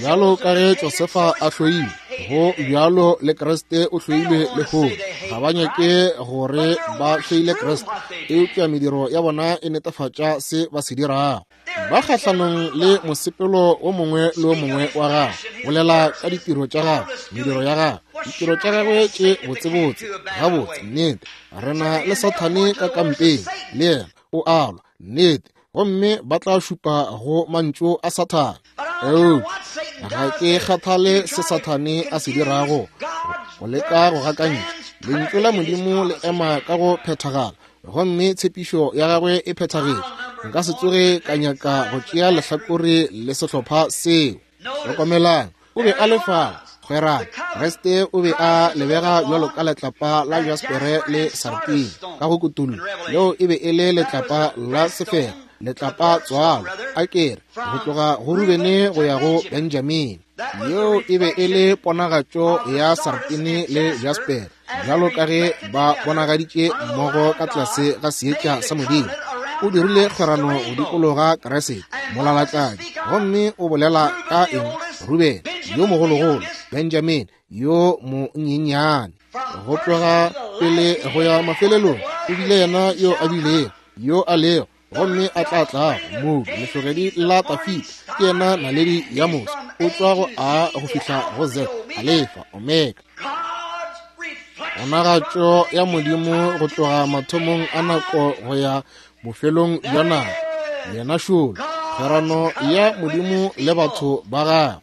Bjalo ka ge Josefa a hloilwe, go bjalo le Kriste o hloilwe lehono. Ga ba nyake gore ba hloile Kriste, eupša mediro ya bona e netefatša se ba se dirago. Ba kgahlanong le mosepelo o mongwe le o mongwe wa gagwe. Bolela ka ditiro tša gagwe, mediro ya gagwe, ditiro tša gagwe tše botsebotse. Gabotse, nnete, re na le Sathane ka kampeng, le yena o alwa, nnete, gomme ba tla šupa go mantšu a Sathane. Eupša ga ke kgathale se Sathane a se dirago go leka go gakantšha. Lentšu la Modimo le ema ka go phethagala, gomme tshepišo ya gagwe e phethagetše. Nka se tsoge ka nyaka go tšea lehlakore le sehlopha seo. Hlokomelang, o be a le fao, kgwerano. Kriste o be a lebega bjalo ka letlapa la jaspere le sartine ka go kutullo. Leo e be e le letlapa la sefela, letlapa tswalo, a kere, go tloga go Rubene go ya go Benjamine. Yeo e be e le ponagatšo ya sartine le jaspere, bjalo ka ge ba bonagaditše mmogo ka tlase ga seetša sa Modimo. O dirile kgwerano go dikologa Kriste, molalatladi, gomme o bolela ka eng? Rubene yo mogologolo, Benjamine yo monyenyane. Go tloga pele go ya mafelelong, o bile yena yo a bilego, yo a lego, gomme a tla tlago. Modu, lehlogedi la Tafita, ke yena naledi ya moso, o tšwa go A go fihla go Z. Alefa, Omega. Ponagatšo ya Modimo go tloga mathomong a nako go ya bofelong bja nako. Yena šolo, kgwerano ya Modimo le batho ba gagwe.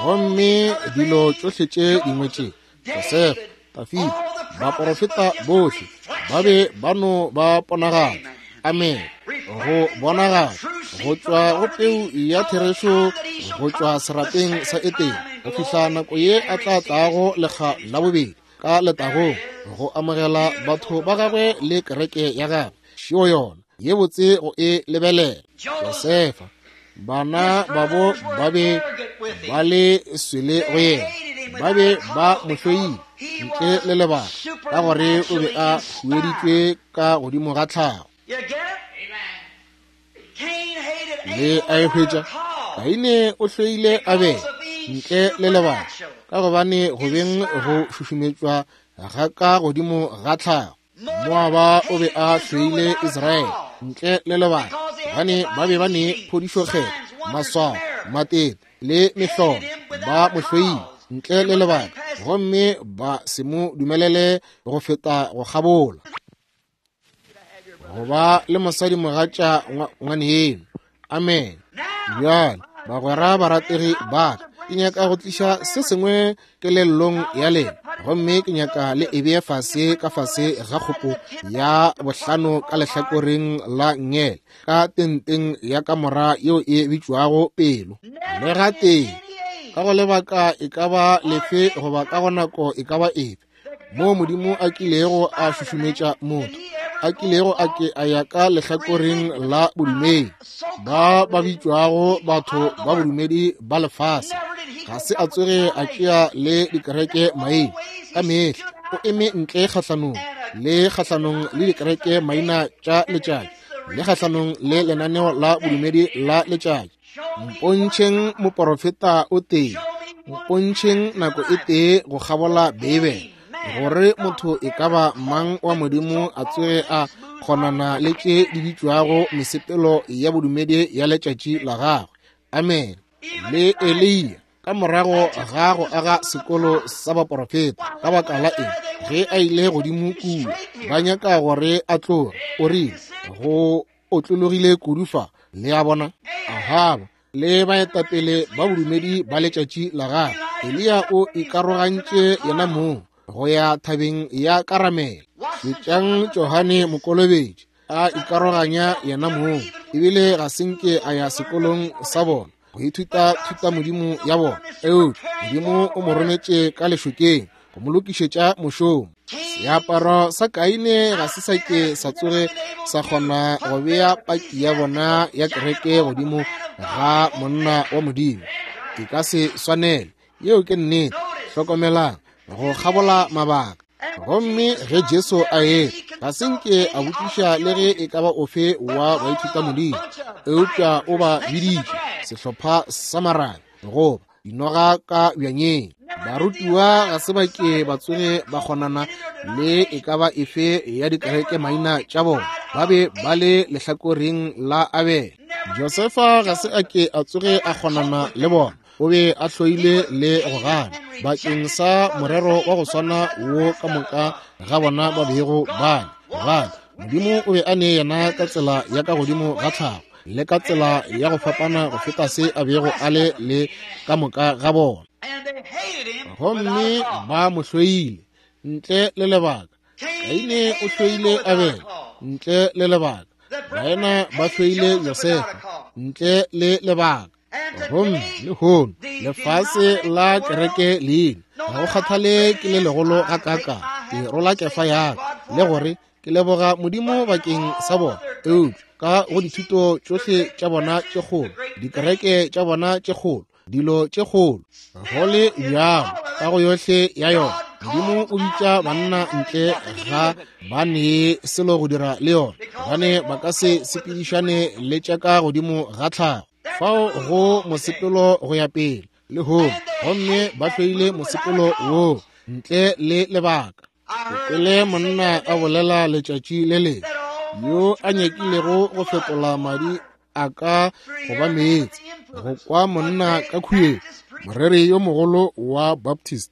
Gomme dilo tšohle tše dingwe tše, Josefa, Dafida, baporofeta bohle, ba be ba no ba ponagatšo. Amen. Go bonagala go tšwa go peu ya therešo go tšwa serapeng sa Etene go fihla nako ye a tla tlago lekga la bobedi ka letagong go amogela batho ba gagwe le kereke ya gagwe. Šeo yona ye botse go e lebelela. Josefa, bana babo ba be ba le swele go yena, ba be ba mo hloile ntle le lebaka, ka gore o be a hueditšwe ka godimo ga tlhago. Le a e hwetša? Kaine o hloile Abele ntle le lebaka, ka gobane go beng go šušumetšwa ga ka godimo ga tlhago. Moaba o be a hloile Israele ntle le lebaka, gobane ba be ba ne phodišokgetho, maswao, matete le mehlolo. Ba mo hloile ntle le lebaka, gomme ba se mo dumelele go feta go kgabola. Go ba le mosadi mogatša ngwaneno. Amen. Bjale, bagwera barategi ba ka, ke nyaka go tliša se sengwe kelellong ya lena, gomme ke nyaka le e bee fase ka fase ga kgopo ya bohlano ka lehlakoreng la ngele ka tenteng ya kamora yeo e bitšwago pelo. Le gatee, ka go lebaka e ka ba lefe goba ka go nako e ka ba efe moo Modimo a kilego a šušumetša motho, a kilego a ke a ya ka lehlakoreng la bodumedi, ba ba bitšwago batho ba bodumedi ba lefase, ga se a tsoge a tšea le dikereke maina. Ka mehla o eme ntle kgahlanong le kgahlanong le dikereke maina tša letšatši, le kgahlanong le lenaneo la bodumedi la letšatši. Mpontšheng moporofeta o tee, mpontšheng nako e tee go kgabola Beibele, gore motho e ka ba mang wa Modimo a tsoge a kgonana le tše di bitšwago mesepelo ya bodumedi ya letšatši la gagwe. Amen. Le Eliya, ka morago ga go aga sekolo sa baporofeta, ka baka la eng ge a ile godimo kua ba nyaka gore a tloge, o rile go otlologile kudu fa. Le a bona? Ahaba le baetapele ba bodumedi ba letšatši la gagwe, Eliya o ikarogantše yena mong go ya thabeng ya Karamele. Šetšang Johane Mokolobetši a ikaroganya yena mong, ebile ga se nke a ya sekolong sa bona go ithuta thutamodimo ya bona, eupša Modimo o mo rometše ka lešokeng go mo lokišetša mošomo. Seaparo sa Kaine ga se sa ke sa tsoge sa kgona go bea paki ya bona ya kereke godimo ga monna wa Modimo. E ka se swanele. Yeo ke nnete. Hlokomelang, go kgabola mabaka. Gomme ge Jesu a etla, ga se nke a botšiša le ge e ka ba ofe wa baithutamodimo, eupša o ba biditše sehlopha sa marabe goba dinoga ka bjanyeng. Barutiwa ga se ba ke ba tsoge ba kgonana le e ka ba efe ya dikereke maina tša bona, ba be ba le lehlakoreng la Abele. Josefa ga se a ke a tsoge a kgonana le bona, o be a hloile le go gana bakeng sa morero wa go swana wo ka moka ga bona ba bego ba gana. Modimo o be a ne yena ka tsela ya ka godimo ga tlhago le ka tsela ya go fapana go feta se a bego a le le ka moka ga bona, gomme ba mo hloile ntle le lebaka. Kaine o hloile Abele ntle le lebaka. Baena ba hloile Josefa ntle le lebaka. Gomme lehono lefase la kereke leina ga go kgathale ke le legolo ga kaka, ke rola kefa yaka le gore ke leboga Modimo bakeng sa bona, eupša ka go dithuto tšohle tša bona tše kgolo, dikereke tša bona tše kgolo, dilo tše kgolo, go le bjalo ka go yohle ya yona, Modimo o bitša banna ntle ga ba ne selo go dira le yona, gobane ba ka se sepedišane le tša ka godimo ga tlhago. Fao go mosepelo go ya pele lehono, gomme ba hloile mosepelo woo ntle le lebaka. Ke kwele monna a bolela letšatši le lengwe, yo a nyakilego go fetola madi a ka go ba meetse, go kwa monna ka khuetšo. moreri yo mogolo wa Baptist,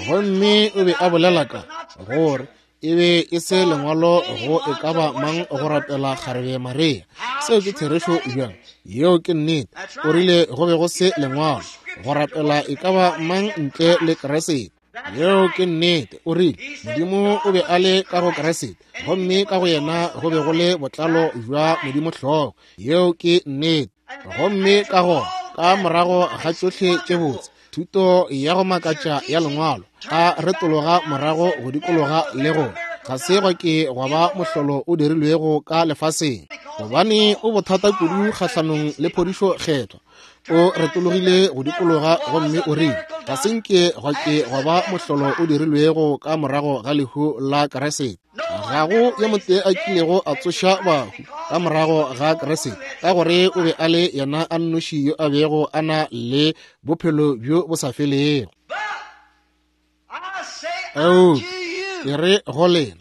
gomme o be a bolela ka gore e be e se lengwalo go e ka ba mang go rapela kgarebe Maria. Seo ke therešo bjang? Yeo ke nnete. O rile go be go se lengwalo go rapela e ka ba mang ntle le Kriste. Yeo ke nnete. O rile Modimo o be a le ka go Kriste, gomme ka go yena go be go le botlalo bja Modimo hlogo. Yeo ke nnete. Gomme ka gona, ka morago ga tšohle tše botse, thuto ya go makatša ya lengwalo, a retologa morago go dikologa le go ga se gwa ke gwa ba mohlolo o dirilwego ka lefaseng, gobane o bothata kudu kgahlanong le phodišo kgethwa. O retologile go dikologa gomme o rile ga se nke gwa ke gwa ba mohlolo o dirilwego ka morago ga lehu la Kriste. Ga go yo motee a kilego a tsoša bahu ka morago ga Kriste, ka gore o be a le yena a nnoši yo a bego a na le bophelo bjo bo sa felego. Eupša ke re go lena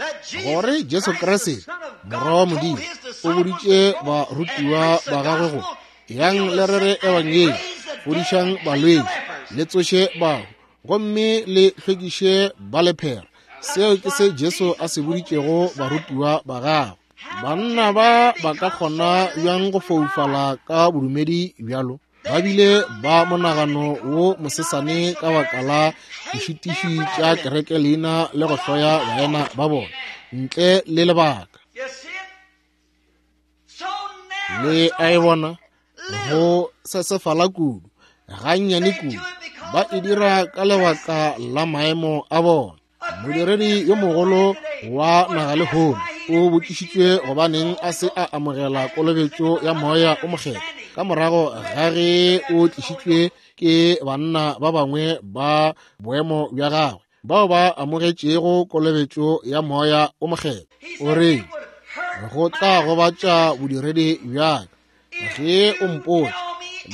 gore Jesu Kriste Morwa wa Modimo o boditše barutiwa ba gagwe go yang le rere ebangedi, fodišang balwetši, le tsoše bahu, gomme le hlwekiše ba lephera. Seo ke se Jesu a se boditšego barutiwa ba gagwe. Banna ba ba ka kgona bjang go foufala ka bodumedi bjalo? Ba bile ba monagano wo mosesane ka baka la dišitiši tša kereke leina le go hloya baena ba bona ntle le lebaka. Le a e bona, go sesefala kudu, gannyane kudu, ba e dira ka lebaka la maemo a bona. Modiredi yo mogolo wa naga lehono o botšišitšwe gobaneng a se a amogela kolobetšo ya moya o mokgethwa ka morago ga ge o tlišitšwe ke banna ba bangwe ba boemo bja gagwe bao ba amogetšego kolobetšo ya moya o mokgethwa. O re, go tla gobatša bodiredi bja ka ge o mpotša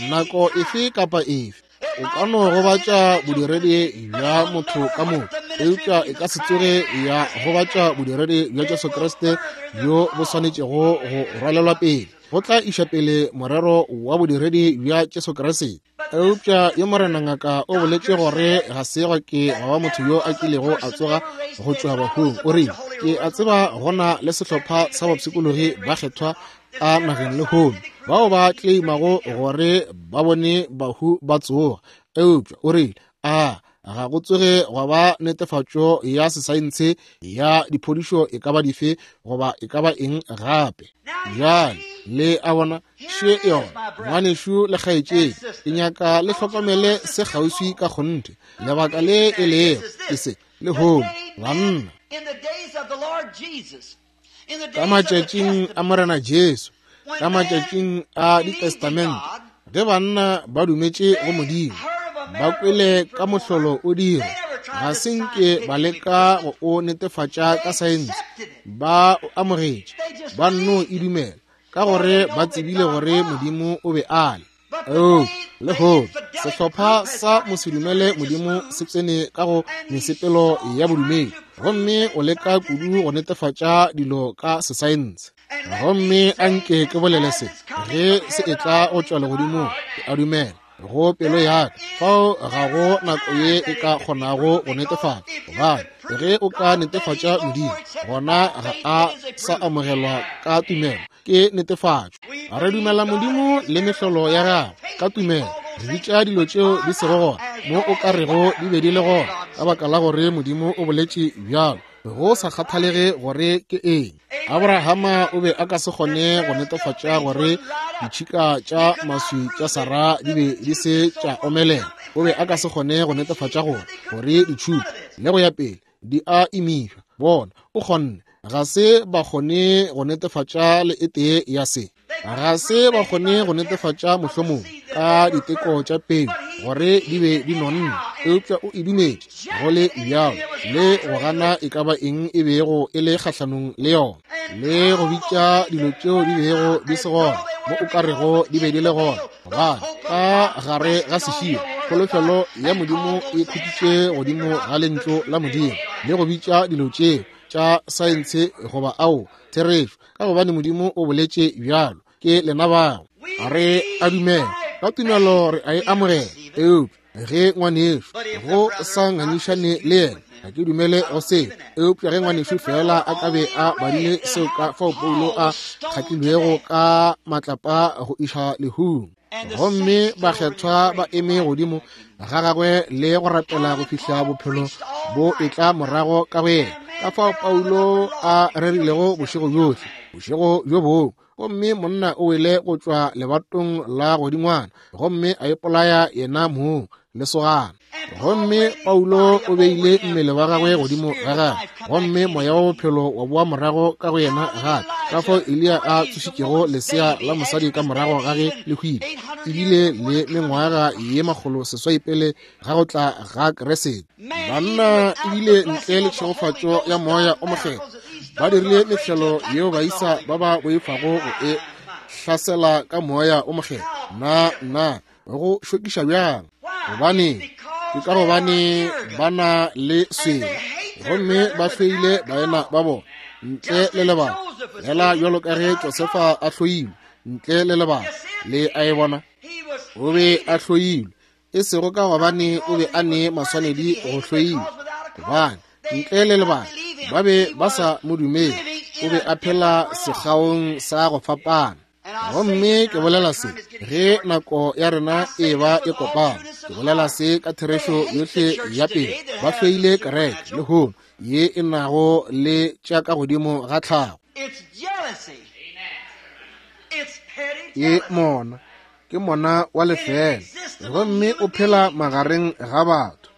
nako efe kapa efe. O ka no gobatša bodiredi bja motho ka moka, eupša e ka se tsoge ya gobatša bodiredi bja Jesu Kriste bjo bo swanetšego go rwalelwa pele. Go tla iša pele morero wa bodiredi bja Jesu Kriste. Eupša yo morena ngaka o boletše gore ga se gwa ke gwa ba motho yo a kilego a tsoga go tšwa bahung. O rile, ke a tseba go na le sehlopha sa bapshikologi ba kgethwa a nageng lehono bao ba tleimago gore ba bone bahu ba tsoga, eupša o rile a ga go tsoge gwa ba netefatšo ya sesaense ya diphodišo e ka ba dife goba e ka ba eng gape. Bjale le a bona, še yona, ngwanešu le kgaetšedi, ke nyaka le hlokomele se kgauswi ka kgonthe. Lebaka le e lego ke se lehono, banna. Ka matšatšing a Morena Jesu, ka matšatšing a ditestamente, ge banna ba dumetše go Modimo, ba kwele ka mohlolo o dira, ga se nke ba leka go o netefatša ka saense, ba o amogetše, ba nno e dumela, ka gore ba tsebile gore Modimo o be a le. Oh, lehono sehlopha sa mosedumele Modimo se tsene ka go mesepelo ya bodumedi, gomme o leka kudu go netefatša dilo ka sesaense. Gomme a nke ke bolele se, ge se etla go tšwa legodimong, ke a dumela go pelo ya ka, fao ga go nako ye e ka kgonago go netefatša. Gobane ge o ka netefatša Modimo, gona ga a sa amogelwa ka tumelo, ke netefatšo. Re dumela Modimo le mehlolo ya gagwe ka tumelo. Re bitša dilo tšeo di sego gona mo o ka rego di be di le gona, ka baka la gore Modimo o boletše bjalo, go sa kgathalege gore ke eng. Abrahama o be a ka se kgone go netefatša gore ditšhika tša maswi tša Sara di be di se tša omelela. O be a ka se kgone go netefatša gore ditšhupo le go ya pele di a imišwa. Bona, o kgonne. Ga se ba kgone go netefatša le e tee ya se. Ga se ba kgone go netefatša mohlomong ka diteko tša peu gore di be di nonne, eupša o e dumetše go le bjalo, le go gana e ka ba eng e bego e le kgahlanong le yona, le go bitša dilo tšeo di bego di se gona mo o ka rego di be di le gona. Gobane ka gare ga seširo kholofelo ya Modimo e khutšitše godimo ga lentšu la Modimo, le go bitša dilo tšeo tša saense goba ao therešo, ka gobane Modimo o boletše bjalo. Ke lena bao re a dumela ka tumelo, re a e amogela, eupša Ge ngwanešu go sa ngangišane le yena, ga ke dumele go seo. Eupša ge ngwanešu fela a ka be a badile seo ka fao Paulo a kgatlilwego ka matlapa go iša lehung, gomme bakgethwa ba eme godimo ga gagwe le go rapela go fihla bophelo bo etla morago ka go yena, ka fao Paulo a rerilego bošego bjohle, bošego bjo bongwe, gomme monna o wele go tšwa lebatong la godingwana gomme a ipolaya yena mong lesogana. Gomme Paulo o beile mmele wa gagwe godimo ga gagwe, gomme moya wa bophelo wa boa morago ka go yena gape. Ka fao Eliya a tsošitšego lesea la mosadi ka morago ga ge le hwile, ebile le mengwaga ye 800 pele ga go tla ga Kriste. Banna ebile ntle le tšhegofatšo ya Moya o Mokgethwa ba dirile mehlelo yeo baisa ba ba boifago go e hlasela ka Moya o Mokgethwa. Na go šokiša bjang? Gobane ke ka gobane ba na le swele, gomme ba hloile baena ba bona ntle le lebaka, fela bjalo ka ge Josefa a hloilwe ntle le lebaka. Le a e bona? O be a hloilwe, e sego ka gobane o be a ne maswanedi go hloilwe, gobane ntle le lebaka ba be ba sa mo dumele. O be a phela sekgaong sa go fapana. Gomme ke bolela se ge nako ya rena e ba e kopana, ke bolela se ka therešo yohle ya pele. Ba hloile kereke lehono ye e nago le tša ka godimo ga tlhago. Ke mona, ke mona wa lefela, gomme o phela magareng ga batho.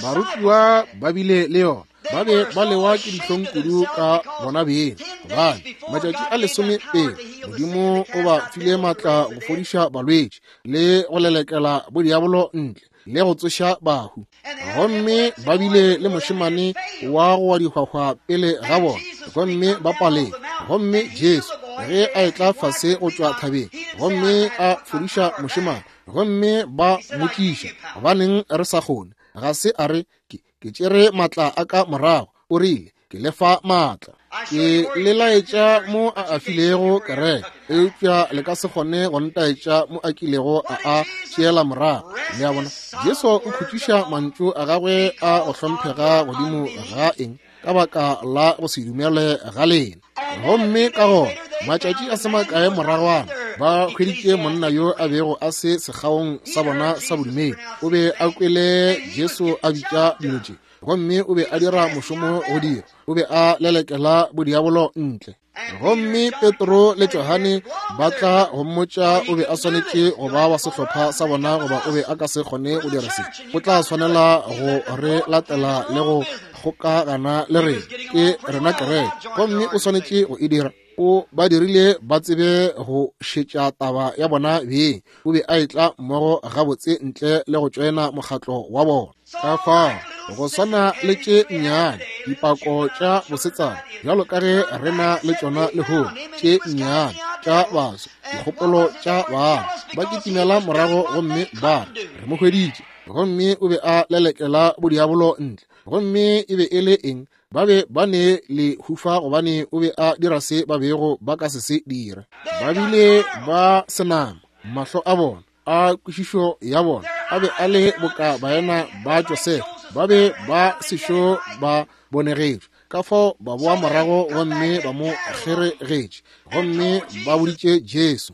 Barutiwa ba bile le yona, ba be ba lewa ke dihlong kudu ka bona beng, gobane matšatši a 10 pele Modimo o ba file maatla go fodiša balwetši le go lelekela bodiabolo ntle le go tsoša bahu. Gomme ba bile le mošemane wa go wa dihwahwa pele ga bona, gomme ba palelwa. Gomme Jesu ge a etla fase go tšwa thabeng gomme a fodiša mošemane, gomme ba motliša, gobaneng re sa kgone? Ga se a re, ke tšere maatla a ka morago. O rile, ke le fa maatla, ke le laetša mo a a filego kereke, eupša le ka se kgone go ntaetša mo a kilego a a tšeela morago. Le a bona, Jesu o khutšiša mantšu a gagwe a go hlomphega godimo ga eng? Ka baka la go se dumele ga lena. Gomme ka gona matšatši a se makae moragwana ba hweditše monna yo a bego a se sekgaong sa bona sa bodumedi. O be a kwele Jesu a bitša dilo tše, gomme o be a dira mošomo go dira, o be a lelekela bodiabolo ntle. Gomme Petro le Johane ba tla go mmotša o be a swanetše go ba wa sehlopha sa bona, goba o be a ka se kgone go dira se. O tla swanela go re latela le go kgokagana le rena, ke rena kereke, gomme o swanetše go e dira. O ba dirile ba tsebe go šetša taba ya bona beng. O be a etla mmogo gabotse ntle le go tšoena mokgatlo wa bona. Ka fao go swana le tše nnyane dipako tša bosetsana bjalo ka ge re na le tšona lehono, tše nnyane tša baswa, dikgopolo tša bana ba kitimela morago gomme ba re, re mo hweditše, gomme o be a lelekela bodiabolo ntle. Gomme e be e le eng? Ba be ba ne le hufa gobane o be a dira se ba bego ba ka se se dira. Ba bile ba senama, mahlo a bona a kwešišo ya bona a be a le boka baena ba Josefa, ba be ba sešo ba bonegetšwe. Ka fao ba boa morago gomme ba mo kgeregetše, gomme ba boditše Jesu.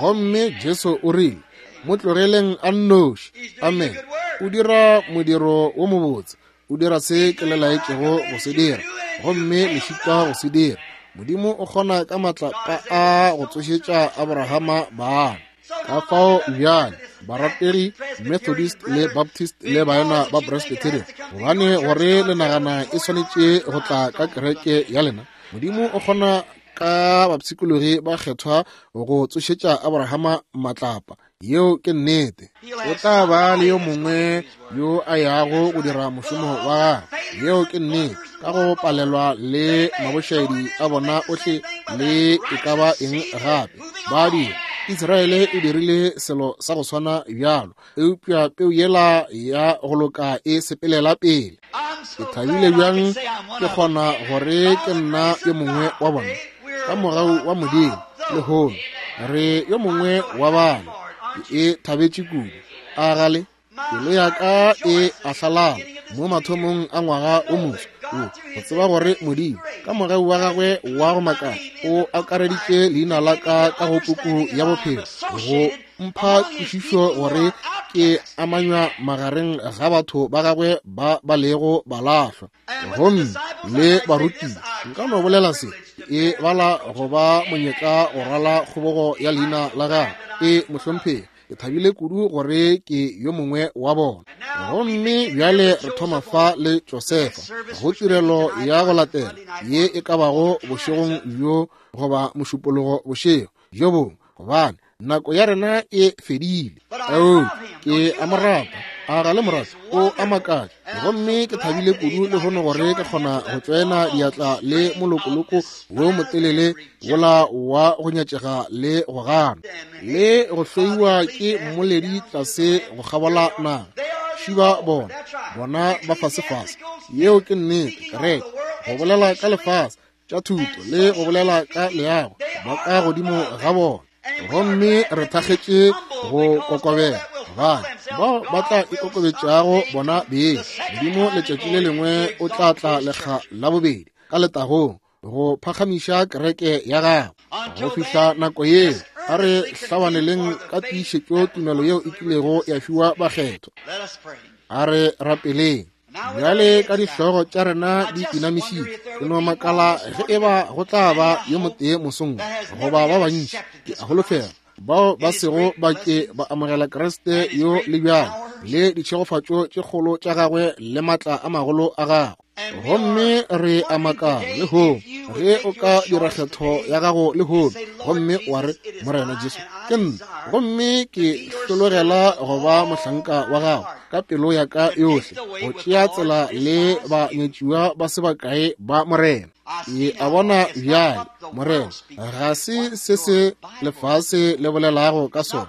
Gomme Jesu o rile, mo tlogeleng a nnoši. Amen. O dira modiro wo mobotse, o dira se ke le laetšego go se dira, gomme le šitwa go se dira. Modimo o kgona ka matlapa a go tsošetša Abrahama bana. Ka fao bjale barategi Methodist le Baptist le baena ba Presbyterian, gobane gore le nagana e swanetše go tla ka kereke ya lena, Modimo o kgona ka bapshikologi ba kgethwa go tsošetša Abrahama matlapa. Yeo ke nnete. O tla ba le yo mongwe yo a yago go dira mošomo wa gagwe. Yeo ke nnete. Ka go palelwa le mabošaedi a bona ohle le e ka ba eng gape ba dira. Israele e dirile selo sa go swana bjalo, eupša peu yela ya go loka e sepelela pele. Ke thabile bjang ke kgona gore ke nna yo mongwe wa bona. Ka mogau wa Modimo lehono re yo mongwe wa bana. Ke e thabetše kudu. A gale pelo ya ka e ahlalala mo mathomong a ngwaga o moswa wo, go tseba gore Modimo ka mogau wa gagwe wa go makala o akareditše leina la ka ka go puku ya bophelo, go mpha kwešišo gore ke amanywa magareng ga batho ba gagwe ba ba lego balahlwa gomme le barutiwa. Nka no bolela se e bala go ba monyetla go rwala kgobogo ya leina la gagwe. E mohlomphegi, ke thabile kudu gore ke yo mongwe wa bona. Gomme bjale re thoma fa le Josefa go tirelo ya go latela ye e ka bago bošegong bjo goba mošupologo bošego bjo bongwe, gobane nako ya rena e fedile. Oo, ke a mo rata, a ga le mo rata? O a makatša. Gomme ke thabile kudu lehono gore ke kgona go tšoena diatla le molokoloko wo motelele wola wa go nyatšega le go gana le go hloiwa ke mmoledi tlase go kgabola naga. Šiba bona, bona ba fasefase. Yeo ke nnete, kereke, go bolela ka lefase tša thuto le go bolela ka leago, ba ka godimo ga bona. Gomme re thakgetše go kokobela, gobane bao ba tla ikokobetšago bona beng, Modimo letšatši le lengwe o tla tla lekga la bobedi ka letagong go phagamiša kereke ya gagwe. Go fihla nako yeo, a re hlabaneleng ka tiišetšo tumelo yeo e kilego ya fiwa bakgethwa. A re rapeleng. Bjale ka dihlogo tša rena di inamišitše, ke no makala ge e ba go tla ba yo motee mosong goba ba bantši, ke a holofela, bao ba sego ba ke ba amogela Kriste yo le bjalo le ditšhegofatšo tše kgolo tša gagwe le matla a magolo a gagwe. Gomme re a makala lehono ge o ka dira kgetho ya gago lehono gomme wa re, Morena Jesu, ke nna, gomme ke hlologela go ba mohlanka wa gago ka pelo ya ka yohle, go tšea tsela le banyetšiwa ba se bakae ba Morena. Ke a bona bjale, Morena, ga se se se lefase le bolelago ka sona,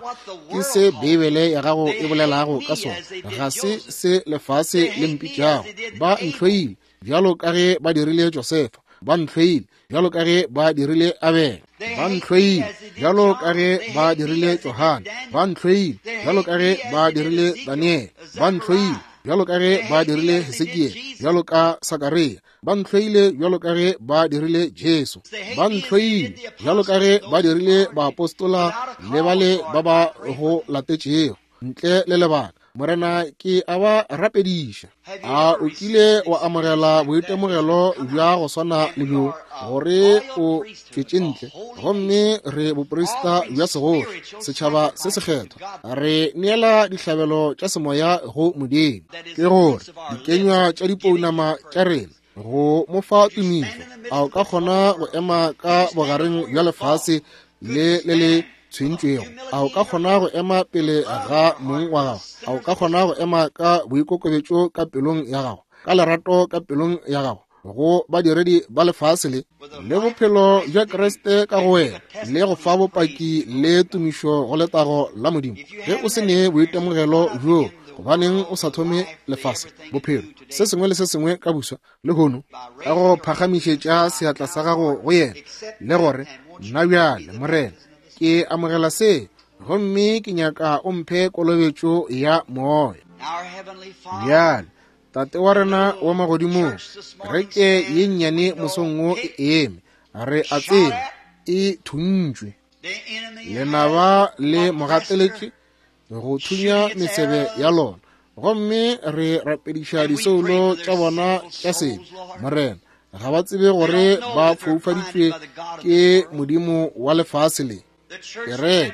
ke se Beibele ya gago e bolelago ka sona. Ga se se lefase le mpitšago. Ba ntlhoile bjalo ka ge ba dirile Josefa, ba ntlhoile bjalo ka ge ba dirile Abele, ba ntlhoile bjalo ka ge ba dirile Johane, ba ntlhoile bjalo ka ge ba dirile Daniele, ba ntlhoile bjalo ka ge ba dirile Hesekiele, bjalo ka Sakaria, ba ntlhoile bjalo ka ge ba dirile Jesu, ba ntlhoile bjalo ka ge ba dirile baapostola le bale ba ba go latetšego ntle le lebaka. Morena, ke a ba rapediša. A o kile wa amogela boitemogelo bja go swana le bjo, gore o tšwetše ntle gomme re boprista bja segoši, setšhaba se sekgethwa, re neela dihlabelo tša semoya go Modimo, ke gore dikenywa tša dipounama tša rena go mo fa tumišo? A o ka kgona go ema ka bogareng bja lefase le le le tshwentšwego? A o ka kgona go ema pele ga mong wa gago? A o ka kgona go ema ka boikokobetšo ka pelong ya gago, ka lerato ka pelong ya gago go badiredi ba lefase le le bophelo bja Kriste ka go wena, le go fa bopaki le tumišo go letago la Modimo? Ge o se ne boitemogelo bjo, gobaneng o sa thome lefase bophelo se sengwe le se sengwe ka buswa lehono ka go phagamišetša seatla sa gago go yena le gore, nna bjale Morena, ke amogela se, gomme ke nyaka o mphe kolobetšo ya moya. Bjale Tate wa rena wa magodimong, kereke ye nnyane mosong wo e eme, re a tseba e thuntšwe, lenaba le mogateletše go thunya mesebe ya lona, gomme re rapediša disoulo tša bona tša sebe. Morena, ga ba tsebe gore ba foufaditšwe ke modimo wa lefase le. Kereke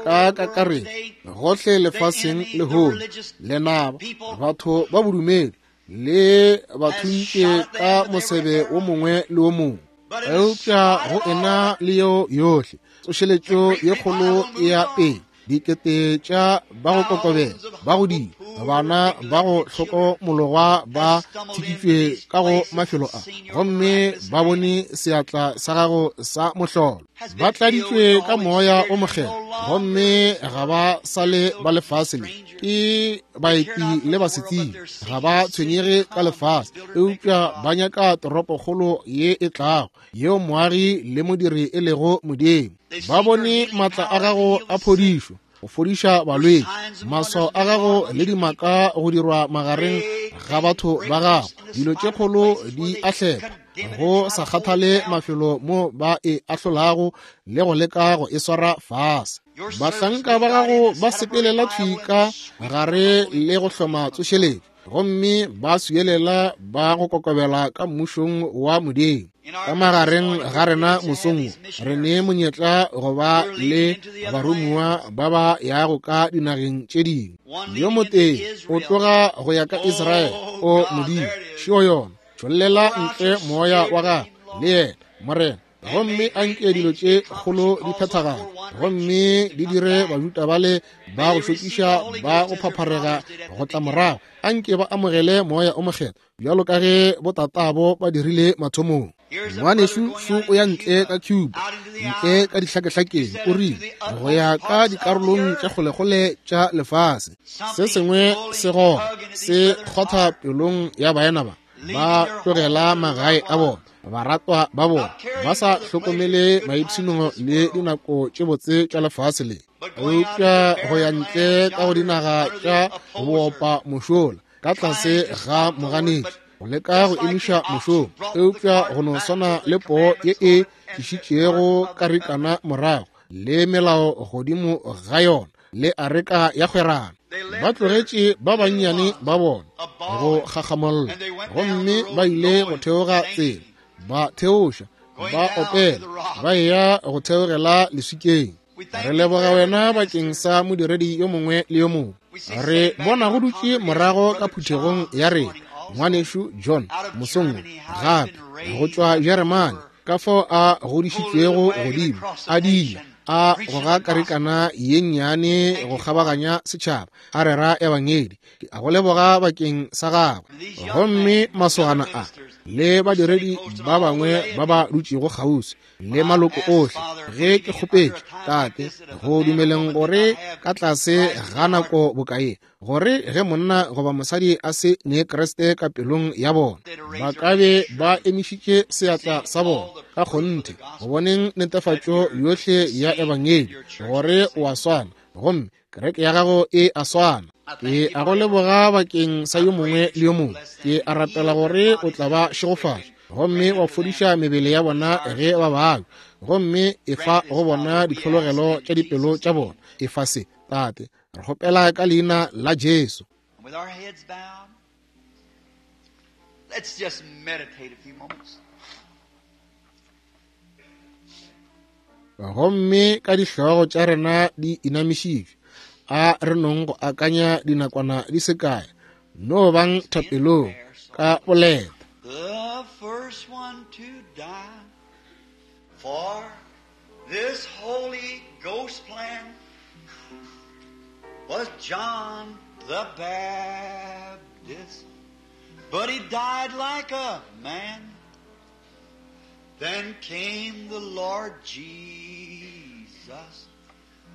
ka kakaretšo gohle lefaseng lehono, lenaba, batho ba bodumedi le ba thuntše ka mosebe wo mongwe le wo mongwe, eupša go ena le yeo yohle tsošeletšo ye kgolo e ya pele, dikete tša ba go kokobela, ba go dira, bana ba go hlokomologwa ba thikitšwe ka go mafelo a, gomme ba bone seatla sa gago sa mohlolo. Ba tladitšwe ka moya o mokgethwa, gomme ga ba sa le ba lefase le, ke baeti le basetsebi, ga ba tshwenyege ka lefase, eupša ba nyaka toropokgolo ye e tlago, yeo moagi le modiri e lego Modimo. Ba bone matla a gago a phodišo, go fodiša balwetši, maswao a gago le dimaka go dirwa magareng ga batho ba gago. Dilo tše kgolo di a hlepha, go sa kgathale mafelo mo ba e ahlolago le go leka go e swara fase. Bahlanka ba gago ba sepelela thwi ka gare le go hloma tsošeletšo, gomme ba swielela ba go kokobela ka mmušong wa Modimo. Ka magareng ga rena mosong wo, re ne monyetla go ba le baromiwa ba ba yago ka dinageng tše dingwe. Yo motee o tloga go ya ka Israele. O Modimo, šeo yona, tšhollela ntle moya wa gago le yena, Morena, gomme a nke dilo tše kgolo di phethagale, gomme di dire Bajuda bale ba go šokiša ba go phapharega go tla morago. A nke ba amogele moya o mokgethwa bjalo ka ge botatabo ba dirile mathomong. Ngwanešu šo o ya ntle ka Cuba, ntle ka dihlakehlakeng, o rile, go ya ka dikarolong tša kgolekgole tša lefase. Se sengwe se goga, se kgotha pelong ya baena ba, ba tlogela magae a bona, baratwa ba bona, ba sa hlokomele maipshino le dinako tše botse tša lefase le, eupša go ya ntle ka go dinaga tša boopa mošola ka tlase ga moganetši, go leka go emiša mošomo, eupša go no swana le poo ye e tlišitšego karikana morago le melao godimo ga yona le areka ya kgwerano. Ba tlogetše ba bannyane ba bona go gagamolla, gomme ba ile go theoga tsela, ba theoša, ba opela, ba eya go theogela leswikeng. Re leboga wena bakeng sa modiredi yo mongwe le yo mongwe. Re bona go dutše morago ka phuthegong ya rena ngwanešu John mosong gape go tšwa Jeremane, ka fao a godišitšwego godimo, a dila a goga karikana ye nnyane go kgabaganya setšhaba, a rera ebangedi. Ke a go leboga bakeng sa gagwe. Gomme masogana a le badiredi ba bangwe ba ba dutšego kgauswi le maloko ohle, ge ke kgopetše Tate go dumeleng gore ka tlase ga nako bokae, gore ge monna goba mosadi a se ne Kriste ka pelong ya bona, ba ka be ba emišitše seatla sa bona ka kgonthe go boneng netefatšo yohle ya ebangedi gore o a swana, gomme kereke ya gago e a swana. Ke a go leboga bakeng sa yo mongwe le yo mongwe. Ke a rapela gore o tla ba šegofatša gomme wa fodiša mebele ya bona ge ba babja, gomme efa go bona ditlhologelo tša dipelo tša bona. Efa se, Tate, re kgopela ka leina la Jesu. With our heads bowed, let's just meditate a few moments. Gomme ka dihlogo tša rena di inamišitšwe, a re nong go akanya dinakwana di se kae. No bang thapelong ka boleta. The first one to die for this Holy Ghost plan was John the Baptist, but he died like a man. Then came the Lord Jesus.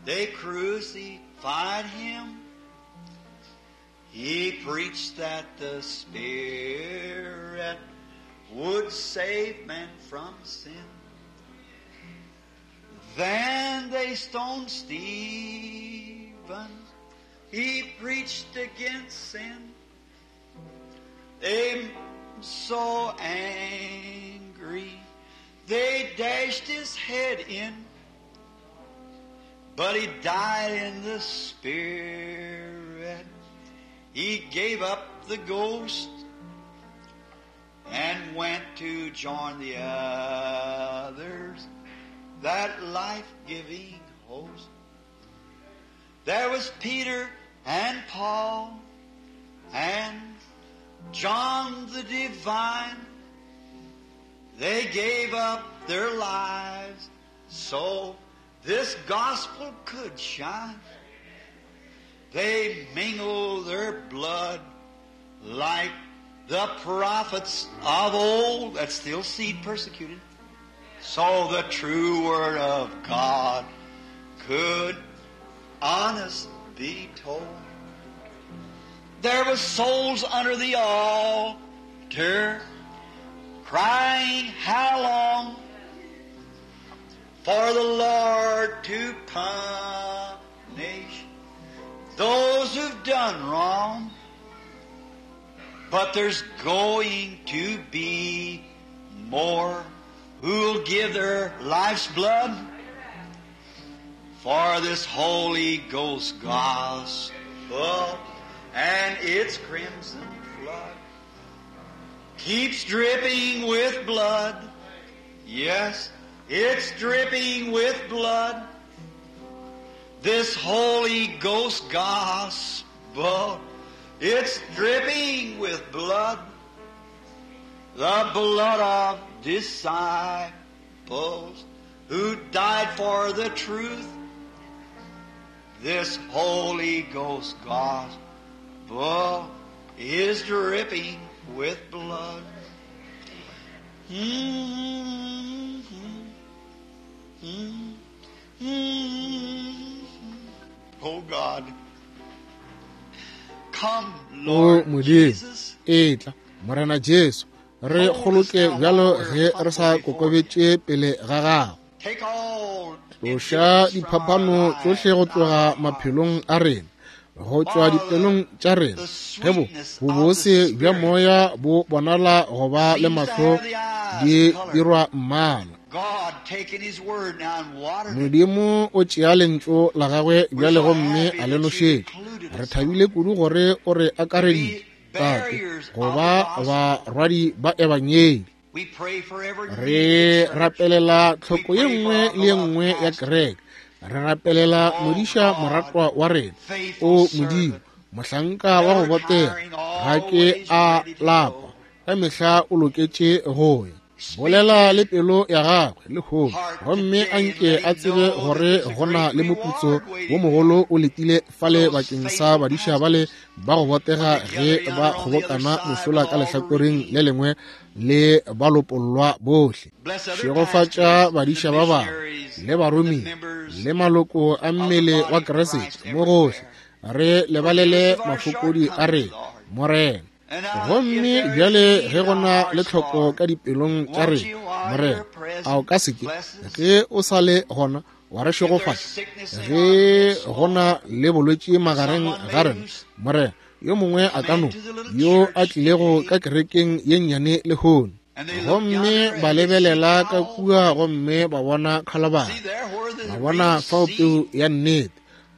They crucified him. He preached that the Spirit would save men from sin. Then they stoned Stephen. He preached against sin. They so angry, they dashed his head in. But he died in the Spirit. He gave up the ghost and went to join the others, that life-giving host. There was Peter and Paul and John the Divine. They gave up their lives so this gospel could shine. They mingled their blood like the prophets of old, that's still seed persecuted, so the true word of God could honest be told. There was souls under the altar crying, how long for the Lord to punish those who've done wrong. But there's going to be more who'll give their life's blood for this Holy Ghost gospel and its crimson flood keeps dripping with blood. Yes, it's dripping with blood. This Holy Ghost gospel, it's dripping with blood. The blood of disciples who died for the truth. This Holy Ghost gospel is dripping with blood. Mm-hmm. Mm-hmm. Oh God. Come, O Lord Modimo, Jesus. etla Morena Jesu, re kgoloke bjalo ge re sa kokobetše pele ga gago. Take all Tloša impediments from our diphapano lives tšohle go and tloga our hearts. maphelong a rena, go tšwa dipelong tša rena. Ge bo bobose bja moya bo bonala go ba le mahlo di dirwa mmala. God taking His word now and watered it. Modimo o tšea lentšu la gagwe bjale gomme a le nošetša. Re thabile kudu gore o re akareditše, Tate, go ba barwadi ba ebangedi. We pray for every Re need in the church. rapelela tlhoko ye nngwe le ye nngwe ya kereke. Re rapelela modiša moratwa wa rena, o Modimo, mohlanka wa go botega, ga ke a lapa, ka mehla o loketše go ya. Bolela le pelo ya gagwe lehono, gomme a nke a tsebe gore go na le moputso wo mogolo o letile fale bakeng sa badiša bale ba go botega ge ba kgobokana mošola ka lehlakoreng le lengwe le balopollwa bohle. Bless other Šegofatša pastors, badiša the ba bangwe missionaries, le baromiwa the members le maloko a mmele wa Kriste mo gohle. Re lebalele mafokodi a rena, Morena. And now, if Gomme there is bjale need ge in go our na le hearts, tlhoko Lord, ka dipelong tša won't rena, you while Morena, you're present a o ka se ke bless us? ge o sa le gona wa re If there's šegofatša? sickness in our Ge midst, go na le bolwetši magareng someone ga maybe rena, who's Morena, yo mongwe a come ka no into the little yo a church tlilego today ka kerekeng ye nnyane lehono, and they look gomme yonder ba and they see lebelela ka Calvary. kua gomme ba bona Khalabari, See there where the ba real bona fao seed, peu ya nnete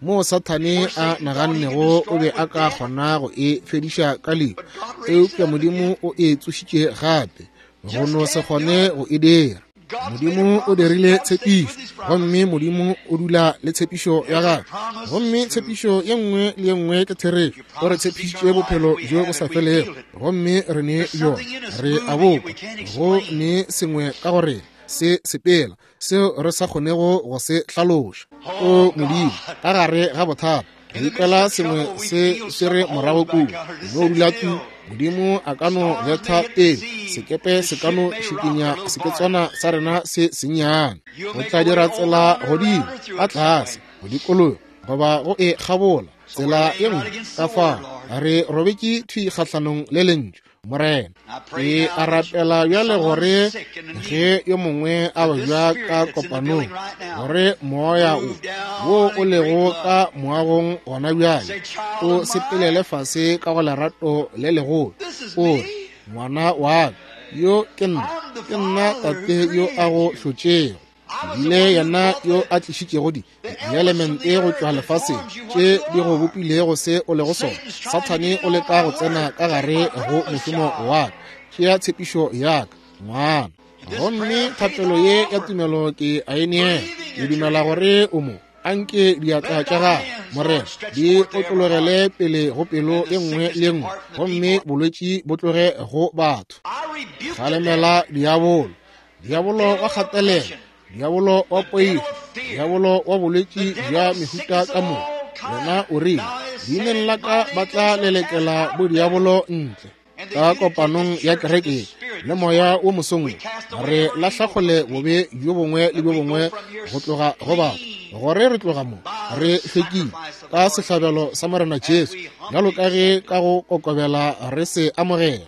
moo Sathane where a Satan thought he could nagannego o destroy be it a with ka death, kgona go e fediša ka lehu, but God raised it eupša up Modimo again. o e tsošitše gape. Go Just no se can't do kgone it. go e dira. God's made a Modimo o promise and dirile God stays with tshepišo, His promise. gomme Modimo o dula le tshepišo ya Every gagwe, promise is gomme true. tshepišo ye nngwe le ye nngwe ke therešo. You O re promised us tshepišitše eternal life, bophelo and we bjo have bo sa it, we felego, feel it. gomme re ne There's bjona, something in us re a moving that bokwa. we can't Go explain. ne sengwe ka go rena se sepela seo re sa kgonego go se hlaloša. O Oh Modimo, God, ka gare ga bothata re in the midst ikwela of sengwe trouble, we se feel se re something morago holds back kudu. on us. No Sit dula tu, still. Modimo a ka no Storms may betha hit the pele, sea, sekepe the se ka ship no may rock our šikinya little bark. seketswana sa rena se sennyane. You'll Go make tla a way dira over, tsela under, godimo, around, or through ka it some tlase, way. go dikologa goba go e kgabola So we're tsela laying ye right nngwe. against Ka the word, fao Lord. re robetše thwi kgahlanong le lentšu, Morena. I pray Ke now a that rapela bjale someone gore sick and in need, ge yo mongwe a that this babja spirit ka that's in the kopanong, building right now gore moya o move wo down o in great lego love. ka moagong gona bjale Say, child o of sepelele mine, fase ka go lerato le legolo, this is o re, me. ngwana wa ka, yo ke nna, I'm the ke nna Father who tate yo a created go you. hlotšego. I was the Bile one who yena brought yo the, a tlišitšego di the elements from dielemente the go earth tšwa and lefaseng formed you what tše you di go are. bopilego se o lego sona. Satan's trying to Sathane get o in on leka my go tsena work. ka Take gare my go promise, mošomo child. wa ka. Tšea tshepišo ya ka, ngwana. And this Gomme prayer of faith thapelo I ye ya offer, tumelo ke a e neela. believing Ke that you're dumela here. gore o mo. Anke diatla Let tša thy gago, hands, Morena, Lord, stretch di forth to every otlologele heart, pele go pelo and the ye nngwe sickness le ye nngwe, depart from the gomme people. bolwetši bo tloge go batho. I rebuke the Kgalemela devil, diabolo, diabolo devil wa of kgatelelo, oppression, diabolo wa the devil poifo, of fear, diabolo wa the bolwetši devil bja of mehuta sickness ka of moka. all Wena kind. o rile, Thou hast leineng said la in ka my ba name they tla shall cast lelekela out devils. bodiabolo ntle. And the Ka unity of kopanong this ya church, kereke this ye spirit le this moya morning, wo mosong we wo, cast away re every lahla evil from kgole the people, bobe bjo bongwe le that bjo we go bongwe from here go tloga go batho. clean Gore re tloga mo by re the hlwekile sacrifice of the ka Lord sehlabelo Jesus, sa Morena as Jesu, we bjalo humbly ka ge accept it. ka go kokobela re se amogela.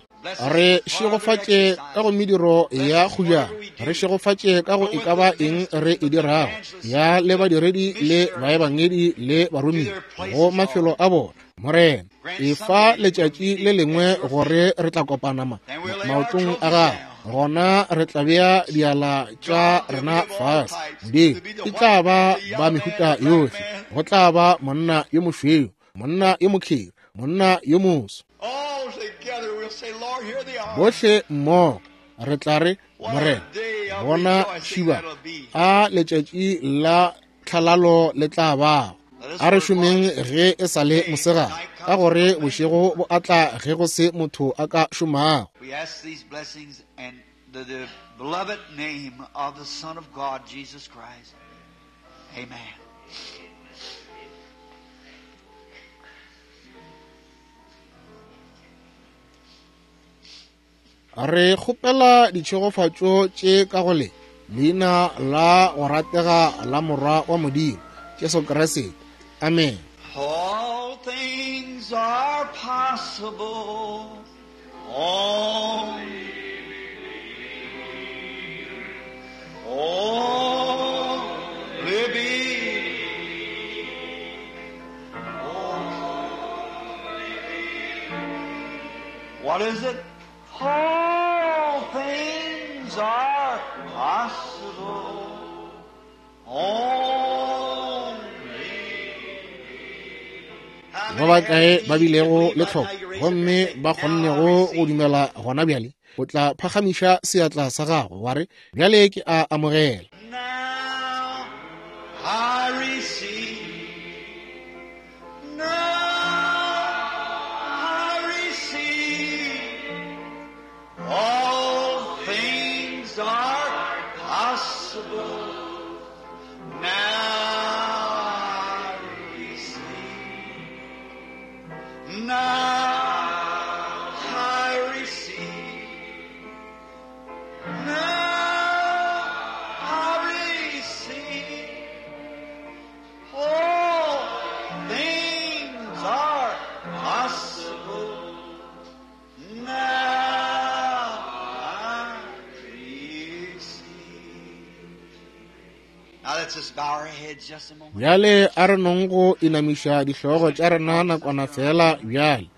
Re šegofatše ka go mediro ya kgujana, re šegofatše ka go e ka ba eng re e dirago, ya le badiredi le baebangedi le baromiwa go mafelo a bona. Morena, efa letšatši le lengwe gore re tla kopana maotong a gago, gona re tla bea diala tša rena fase. Modimo, e tla ba ba mehuta yohle, go tla ba monna yo mošweu, monna yo mokheri, monna yo moso. Bohle mmogo re tla re, Morena, bona šiba a letšatši la tlhalalo le tla bago. A re šomeng ge e sa le mosegare, ka gore bošego bo atla ge go se motho a ka šomago. We ask these blessings in the beloved name of the Son of God, Jesus Christ. Amen. Re kgopela ditšhegofatšo tše ka go le leina la go ratega la Morwa wa Modimo, Jesu Kriste. Amen. All things are possible. Only believe. What is it? All things are possible. Only. Ba bakae ba bilego le tlhoko gomme ba kgonnego go dumela gona bjale, o tla phagamiša seatla sa gago wa re, bjale ke a amogela. Now I receive. Now I receive. All things are possible. Now I receive. Now I receive. Now I receive. All things are possible. Now I receive. Now let's just bow our heads just a moment. Bjale a re nong go inamiša dihlogo tša rena nakwana fela bjale.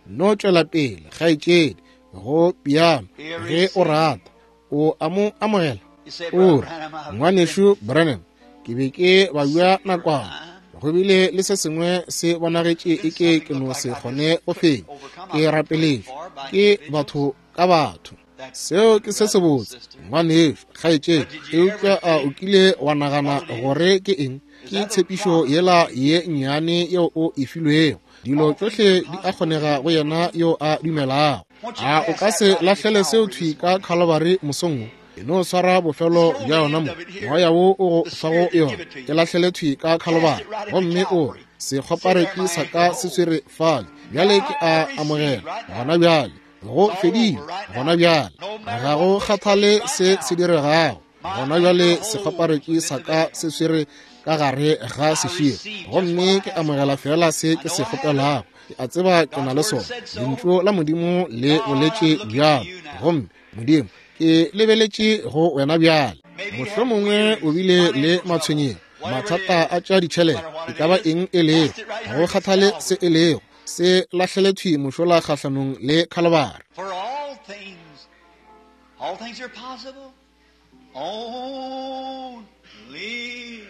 No tšwela pele, kgaetšedi, go piano ge o rata. O a mo amogela? You say, O Brother re, Branham, I've ngwanešu Branham, ke be ke babja nakwana. Go bile le se sengwe se bonagetše eke ke no se kgone go fenya. Ke rapeletšwe ke batho ka batho. Seo ke se sebotse, ngwanešu, kgaetšedi, eupša a o kile wa nagana gore ke eng? Ke tshepišo yela ye nnyane yeo o e filwego. Dilo tšohle di a kgonega go yena yo a dumelago. A o ka se lahlele seo thwi ka Calvary mosong wo? E no swara bofelo bja yona mo, moya wo o go fago yona, e lahlele thwi ka Calvary, gomme o re, sekgopareki sa ka se swere fale, bjale ke a amogela gona bjale, go fedile gona bjale, ga go kgathale se se diregago gona bjale, sekgopareki sa ka se swere ka gare ga seširo, gomme ke amogela fela se ke se kgopelago. Ke a tseba ke na le sona. Lentšu la Modimo le boletše bjalo, gomme Modimo, ke lebeletše go wena bjale. Mohlomongwe o bile le matshwenyego, mathata a tša ditšhelete, e ka ba eng e lego, ga go kgathale se e lego, se lahlele thwi mošola kgahlanong le Calvary. For all things are possible. Only believe.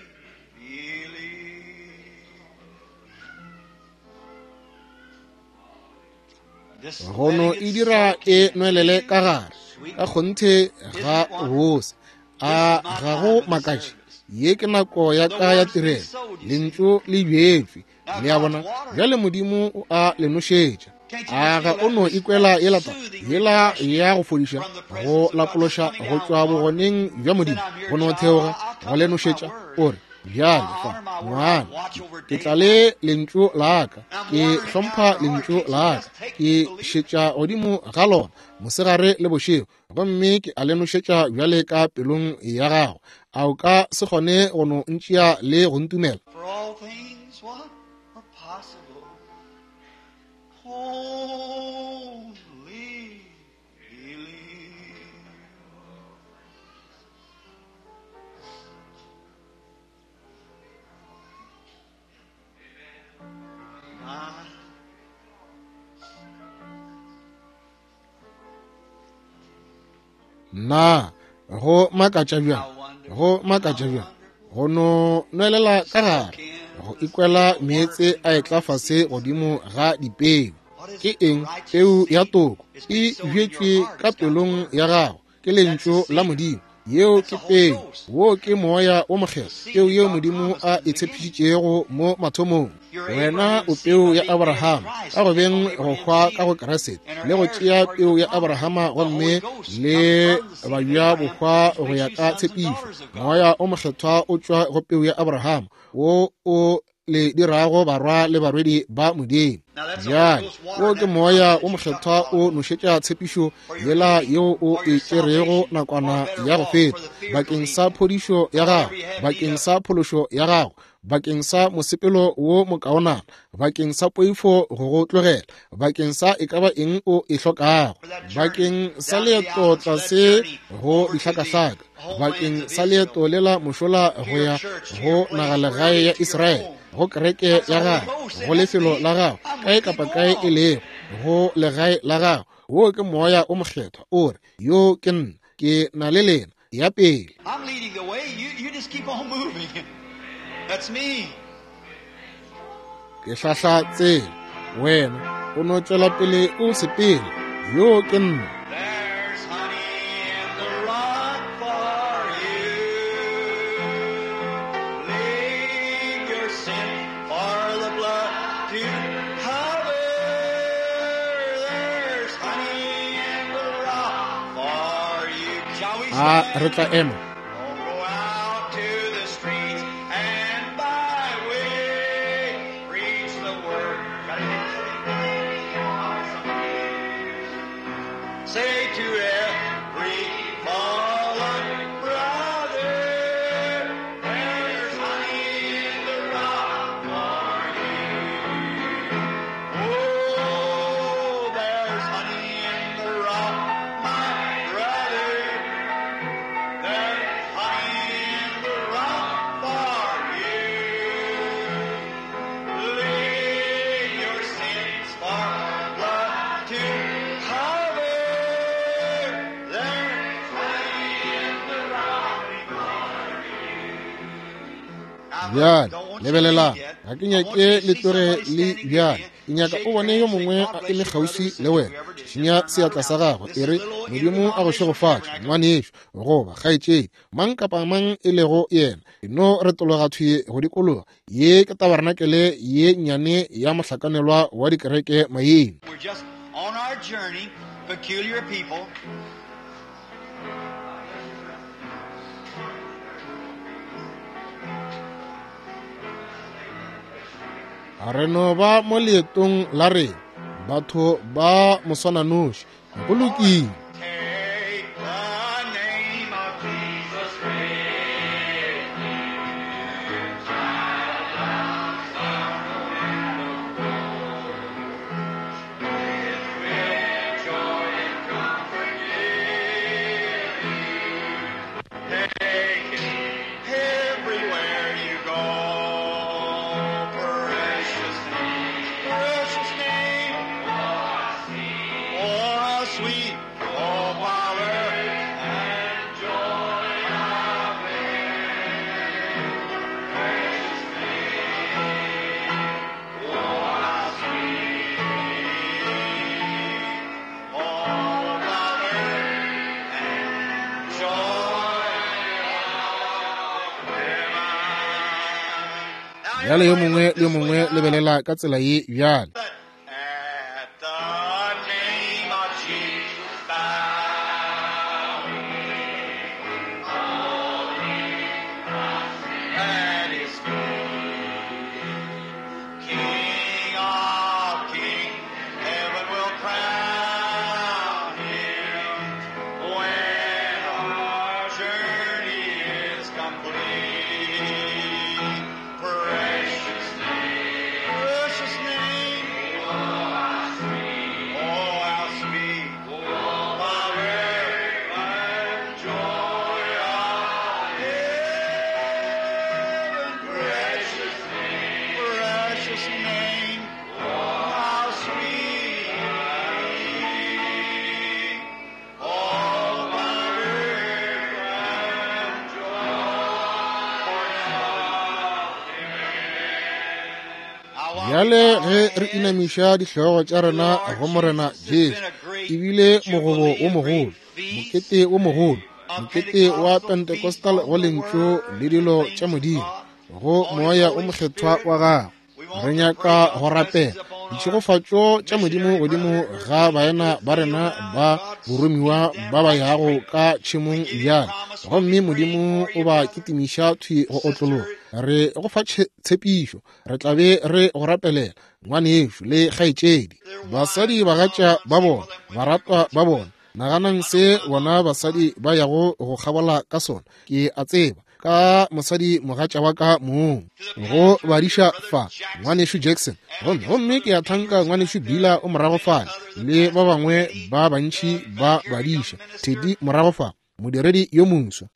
This Gono letting e it dira soak e in. nwelele ka gare, ka kgonthe ga bose. A ga go makatše, ye ke nako ya ka ya tirelo. Lentšu le bjetšwe, le a bona. Bjale Modimo o a le nošetša. A ga o no ikwela yela taba yela ya go fodiša, go lapološa go tšwa bogoneng bja Modimo, go no theoga go le nošetša? O re, bjale fa ngwana, ke tla le lentšu la ka, ke hlompha lentšu la ka, ke šetša godimo ga lona mosegare le bošego, gomme ke a le nošetša bjale ka pelong ya gago. A o ka se kgone go no ntšea le go ntumela? For all things what are possible. Only Na go makatša bjang, go makatša bjang, go no nwelela ka gare, go ikwela meetse a etla fase godimo ga dipeu. Ke eng? Peu ya toko e bjetšwe ka pelong ya gago ke lentšu la Modimo. Yeo ke peu, wo ke Moya wo Mokgethwa, peu yeo Modimo a e tshepišitšego mo mathomong. Wena o peu ya Abrahama ka go beng go hwa ka go Kriste, le go tšea peu ya Abrahama gomme le babja bohwa go ya ka tshepišo. Moya o Mokgethwa o tšwa go peu ya Abrahama, wo o le dirago barwa le barwedi ba Modimo. Bjale wo ke Moya wo Mokgethwa o nošetša tshepišo yela yeo o e tšerego nakwana ya go feta, bakeng sa phodišo ya gago, bakeng sa phološo ya gago, bakeng sa mosepelo wo mokaonana, bakeng sa poifo go go tlogela, bakeng sa e ka ba eng o e hlokago, bakeng sa leeto tlase go dihlakahlaka, bakeng sa leeto lela mošola go ya go nagalegae ya Israele, go kereke ya gago, go lefelo la gago, kae kapa kae e lego, go legae la gago. Wo ke Moya o Mokgethwa o re, yo ke nna, ke na le lena, ya pele. I'm leading the way. You just keep on moving. That's me. Ke hlahla tsela, wena o no tšwela pele o sepele, yo ke nna. There's honey in the rock for you. Leave your sin for the blood to cover. There's honey in the rock for you. Shall we A stand? re tla ema? Oh, go out to the streets and byway, preach the word. Say to every fallen brother, there's honey in the rock for you. Oh, there's honey in the rock, my brother. There's honey in the rock for you. Lay your sins for blood to cover. There's honey in the rock for you. Bjale lebelelang, ga ke nyake le tloge le bjale, ke nyaka o bone yo mongwe a eme kgauswi le wena. Šinya seatla sa gagwe, e re, Modimo a go šegofatše, ngwanešo goba kgaetšedi, mang kapa mang e lego yena. E no retologa thwi go dikologa. Ye ke tabarenakele ye nnyane ya mohlakanelwa wa dikereke maina. We're just on our journey, peculiar people. Re no ba mo leetong la rena, batho ba moswananoši. Go lokile. Take the name of Jesus with you. It will joy and comfort give you. Take it everywhere you go. Precious name, precious name. Oh, how sweet, oh, power and joy of it. Precious name, oh, how sweet, oh, power and joy of it. Bjale yo mongwe le yo mongwe lebelela ka tsela ye bjale. At the name of Jesus, bow. At his feet, King of kings, heaven will crown him when our journey is complete. Precious name, precious name. Bjale ge re inamiša dihlogo tša rena go Morena Jesu, e bile mogobo wo mogolo, mokete wo mogolo, mokete wa Pentecostal go Lentšu le dilo tša Modimo, go Moya wo Mokgethwa wa Gagwe. Re nyaka go rapela ditšhegofatšo tša Modimo godimo ga baena ba rena ba boromiwa ba ba yago ka tšhemong bjale, gomme Modimo o ba kitimiša thwi go otlologa. Re go fa tshepišo, re tla be re go rapelela, ngwanešu le kgaetšedi, basadi bagatša ba bona, baratwa ba bona. Naganang se bona basadi ba yago go kgabola ka sona. Ke a tseba ka mosadi mogatša wa ka mong go badiša fa, ngwanešu Jackson, gomme gomme ke a thanka ngwanešu Bila o morago fale, le ba bangwe ba bantši ba badiša, Teddy morago fa, modiredi yo moswa,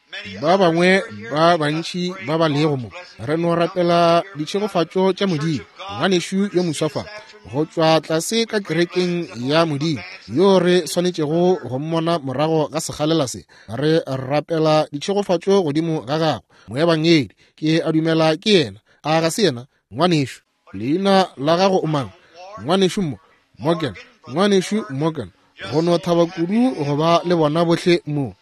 ba bangwe ba bantši ba ba lego mo. Re no rapela ditšhegofatšo tša Modimo. Ngwanešu yo moswa fa, go tšwa tlase ka kerekeng ya Modimo, yo re swanetšego go mmona morago ga sekgalela se, re rapela ditšhegofatšo godimo ga gagwe. Moebangedi, ke a dumela ke yena. A ga se yena, ngwanešu? Leina la gago o mang? Ngwanešu mo, Morgan. Ngwanešu Morgan, go no thaba kudu go ba le bona bohle mo.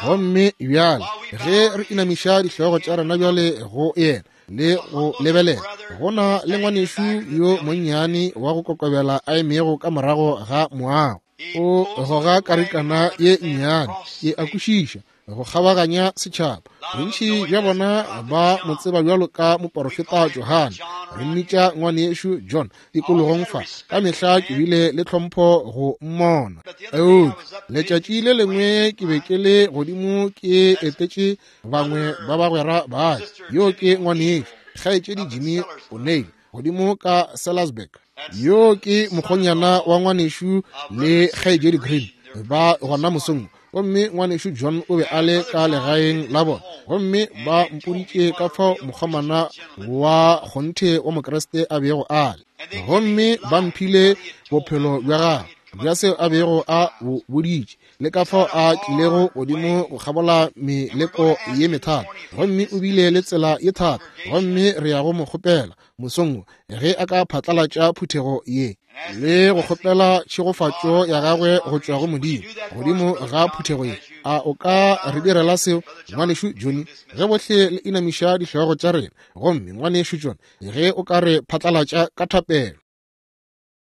Gomme bjale ge re inamiša dihlogo tša rena bjale go yena le go lebelela, go na le ngwanešu yo monnyane wa go kokobela a emego ka morago ga moago. O goga karikana ye nnyane, ke a kwešiša, go kgabaganya setšhaba. Bontši bja bona ba mo tseba bjalo ka moporofeta Johane. Re mmitša ngwanešu John tikologong fa. Ka mehla ke bile le tlhompho go mmona. Eupša letšatši le lengwe ke be ke le godimo ke etetše bangwe ba bagwera ba ka. Yo ke ngwanešu kgaetšedi Jimmy O'Neill godimo ka Sellersburg. Yo ke mokgonyana wa ngwanešu le kgaetšedi Green ba gona mosong. Gomme ngwanešu John o be a le ka legaeng la bona, gomme ba mpoditše ka fao mokgomana wa kgonthe wa Mokriste a bego a le, gomme ba mphile bophelo bja gagwe bja seo a bego a bo boditše, le ka fao a tlilego godimo go kgabola meleko ye methata, gomme o bile le tsela ye thata. Gomme re ya go mo kgopela mosong wo ge a ka phatlalatša phuthego ye le go kgopela tšhegofatšo ya gagwe go tšwa go Modimo godimo ga phuthego ye. A o ka re direla seo, ngwanešu Johnny, ge bohle le inamiša dihlogo tša rena? Gomme ngwanešu John, ge o ka re phatlalatša ka thapelo.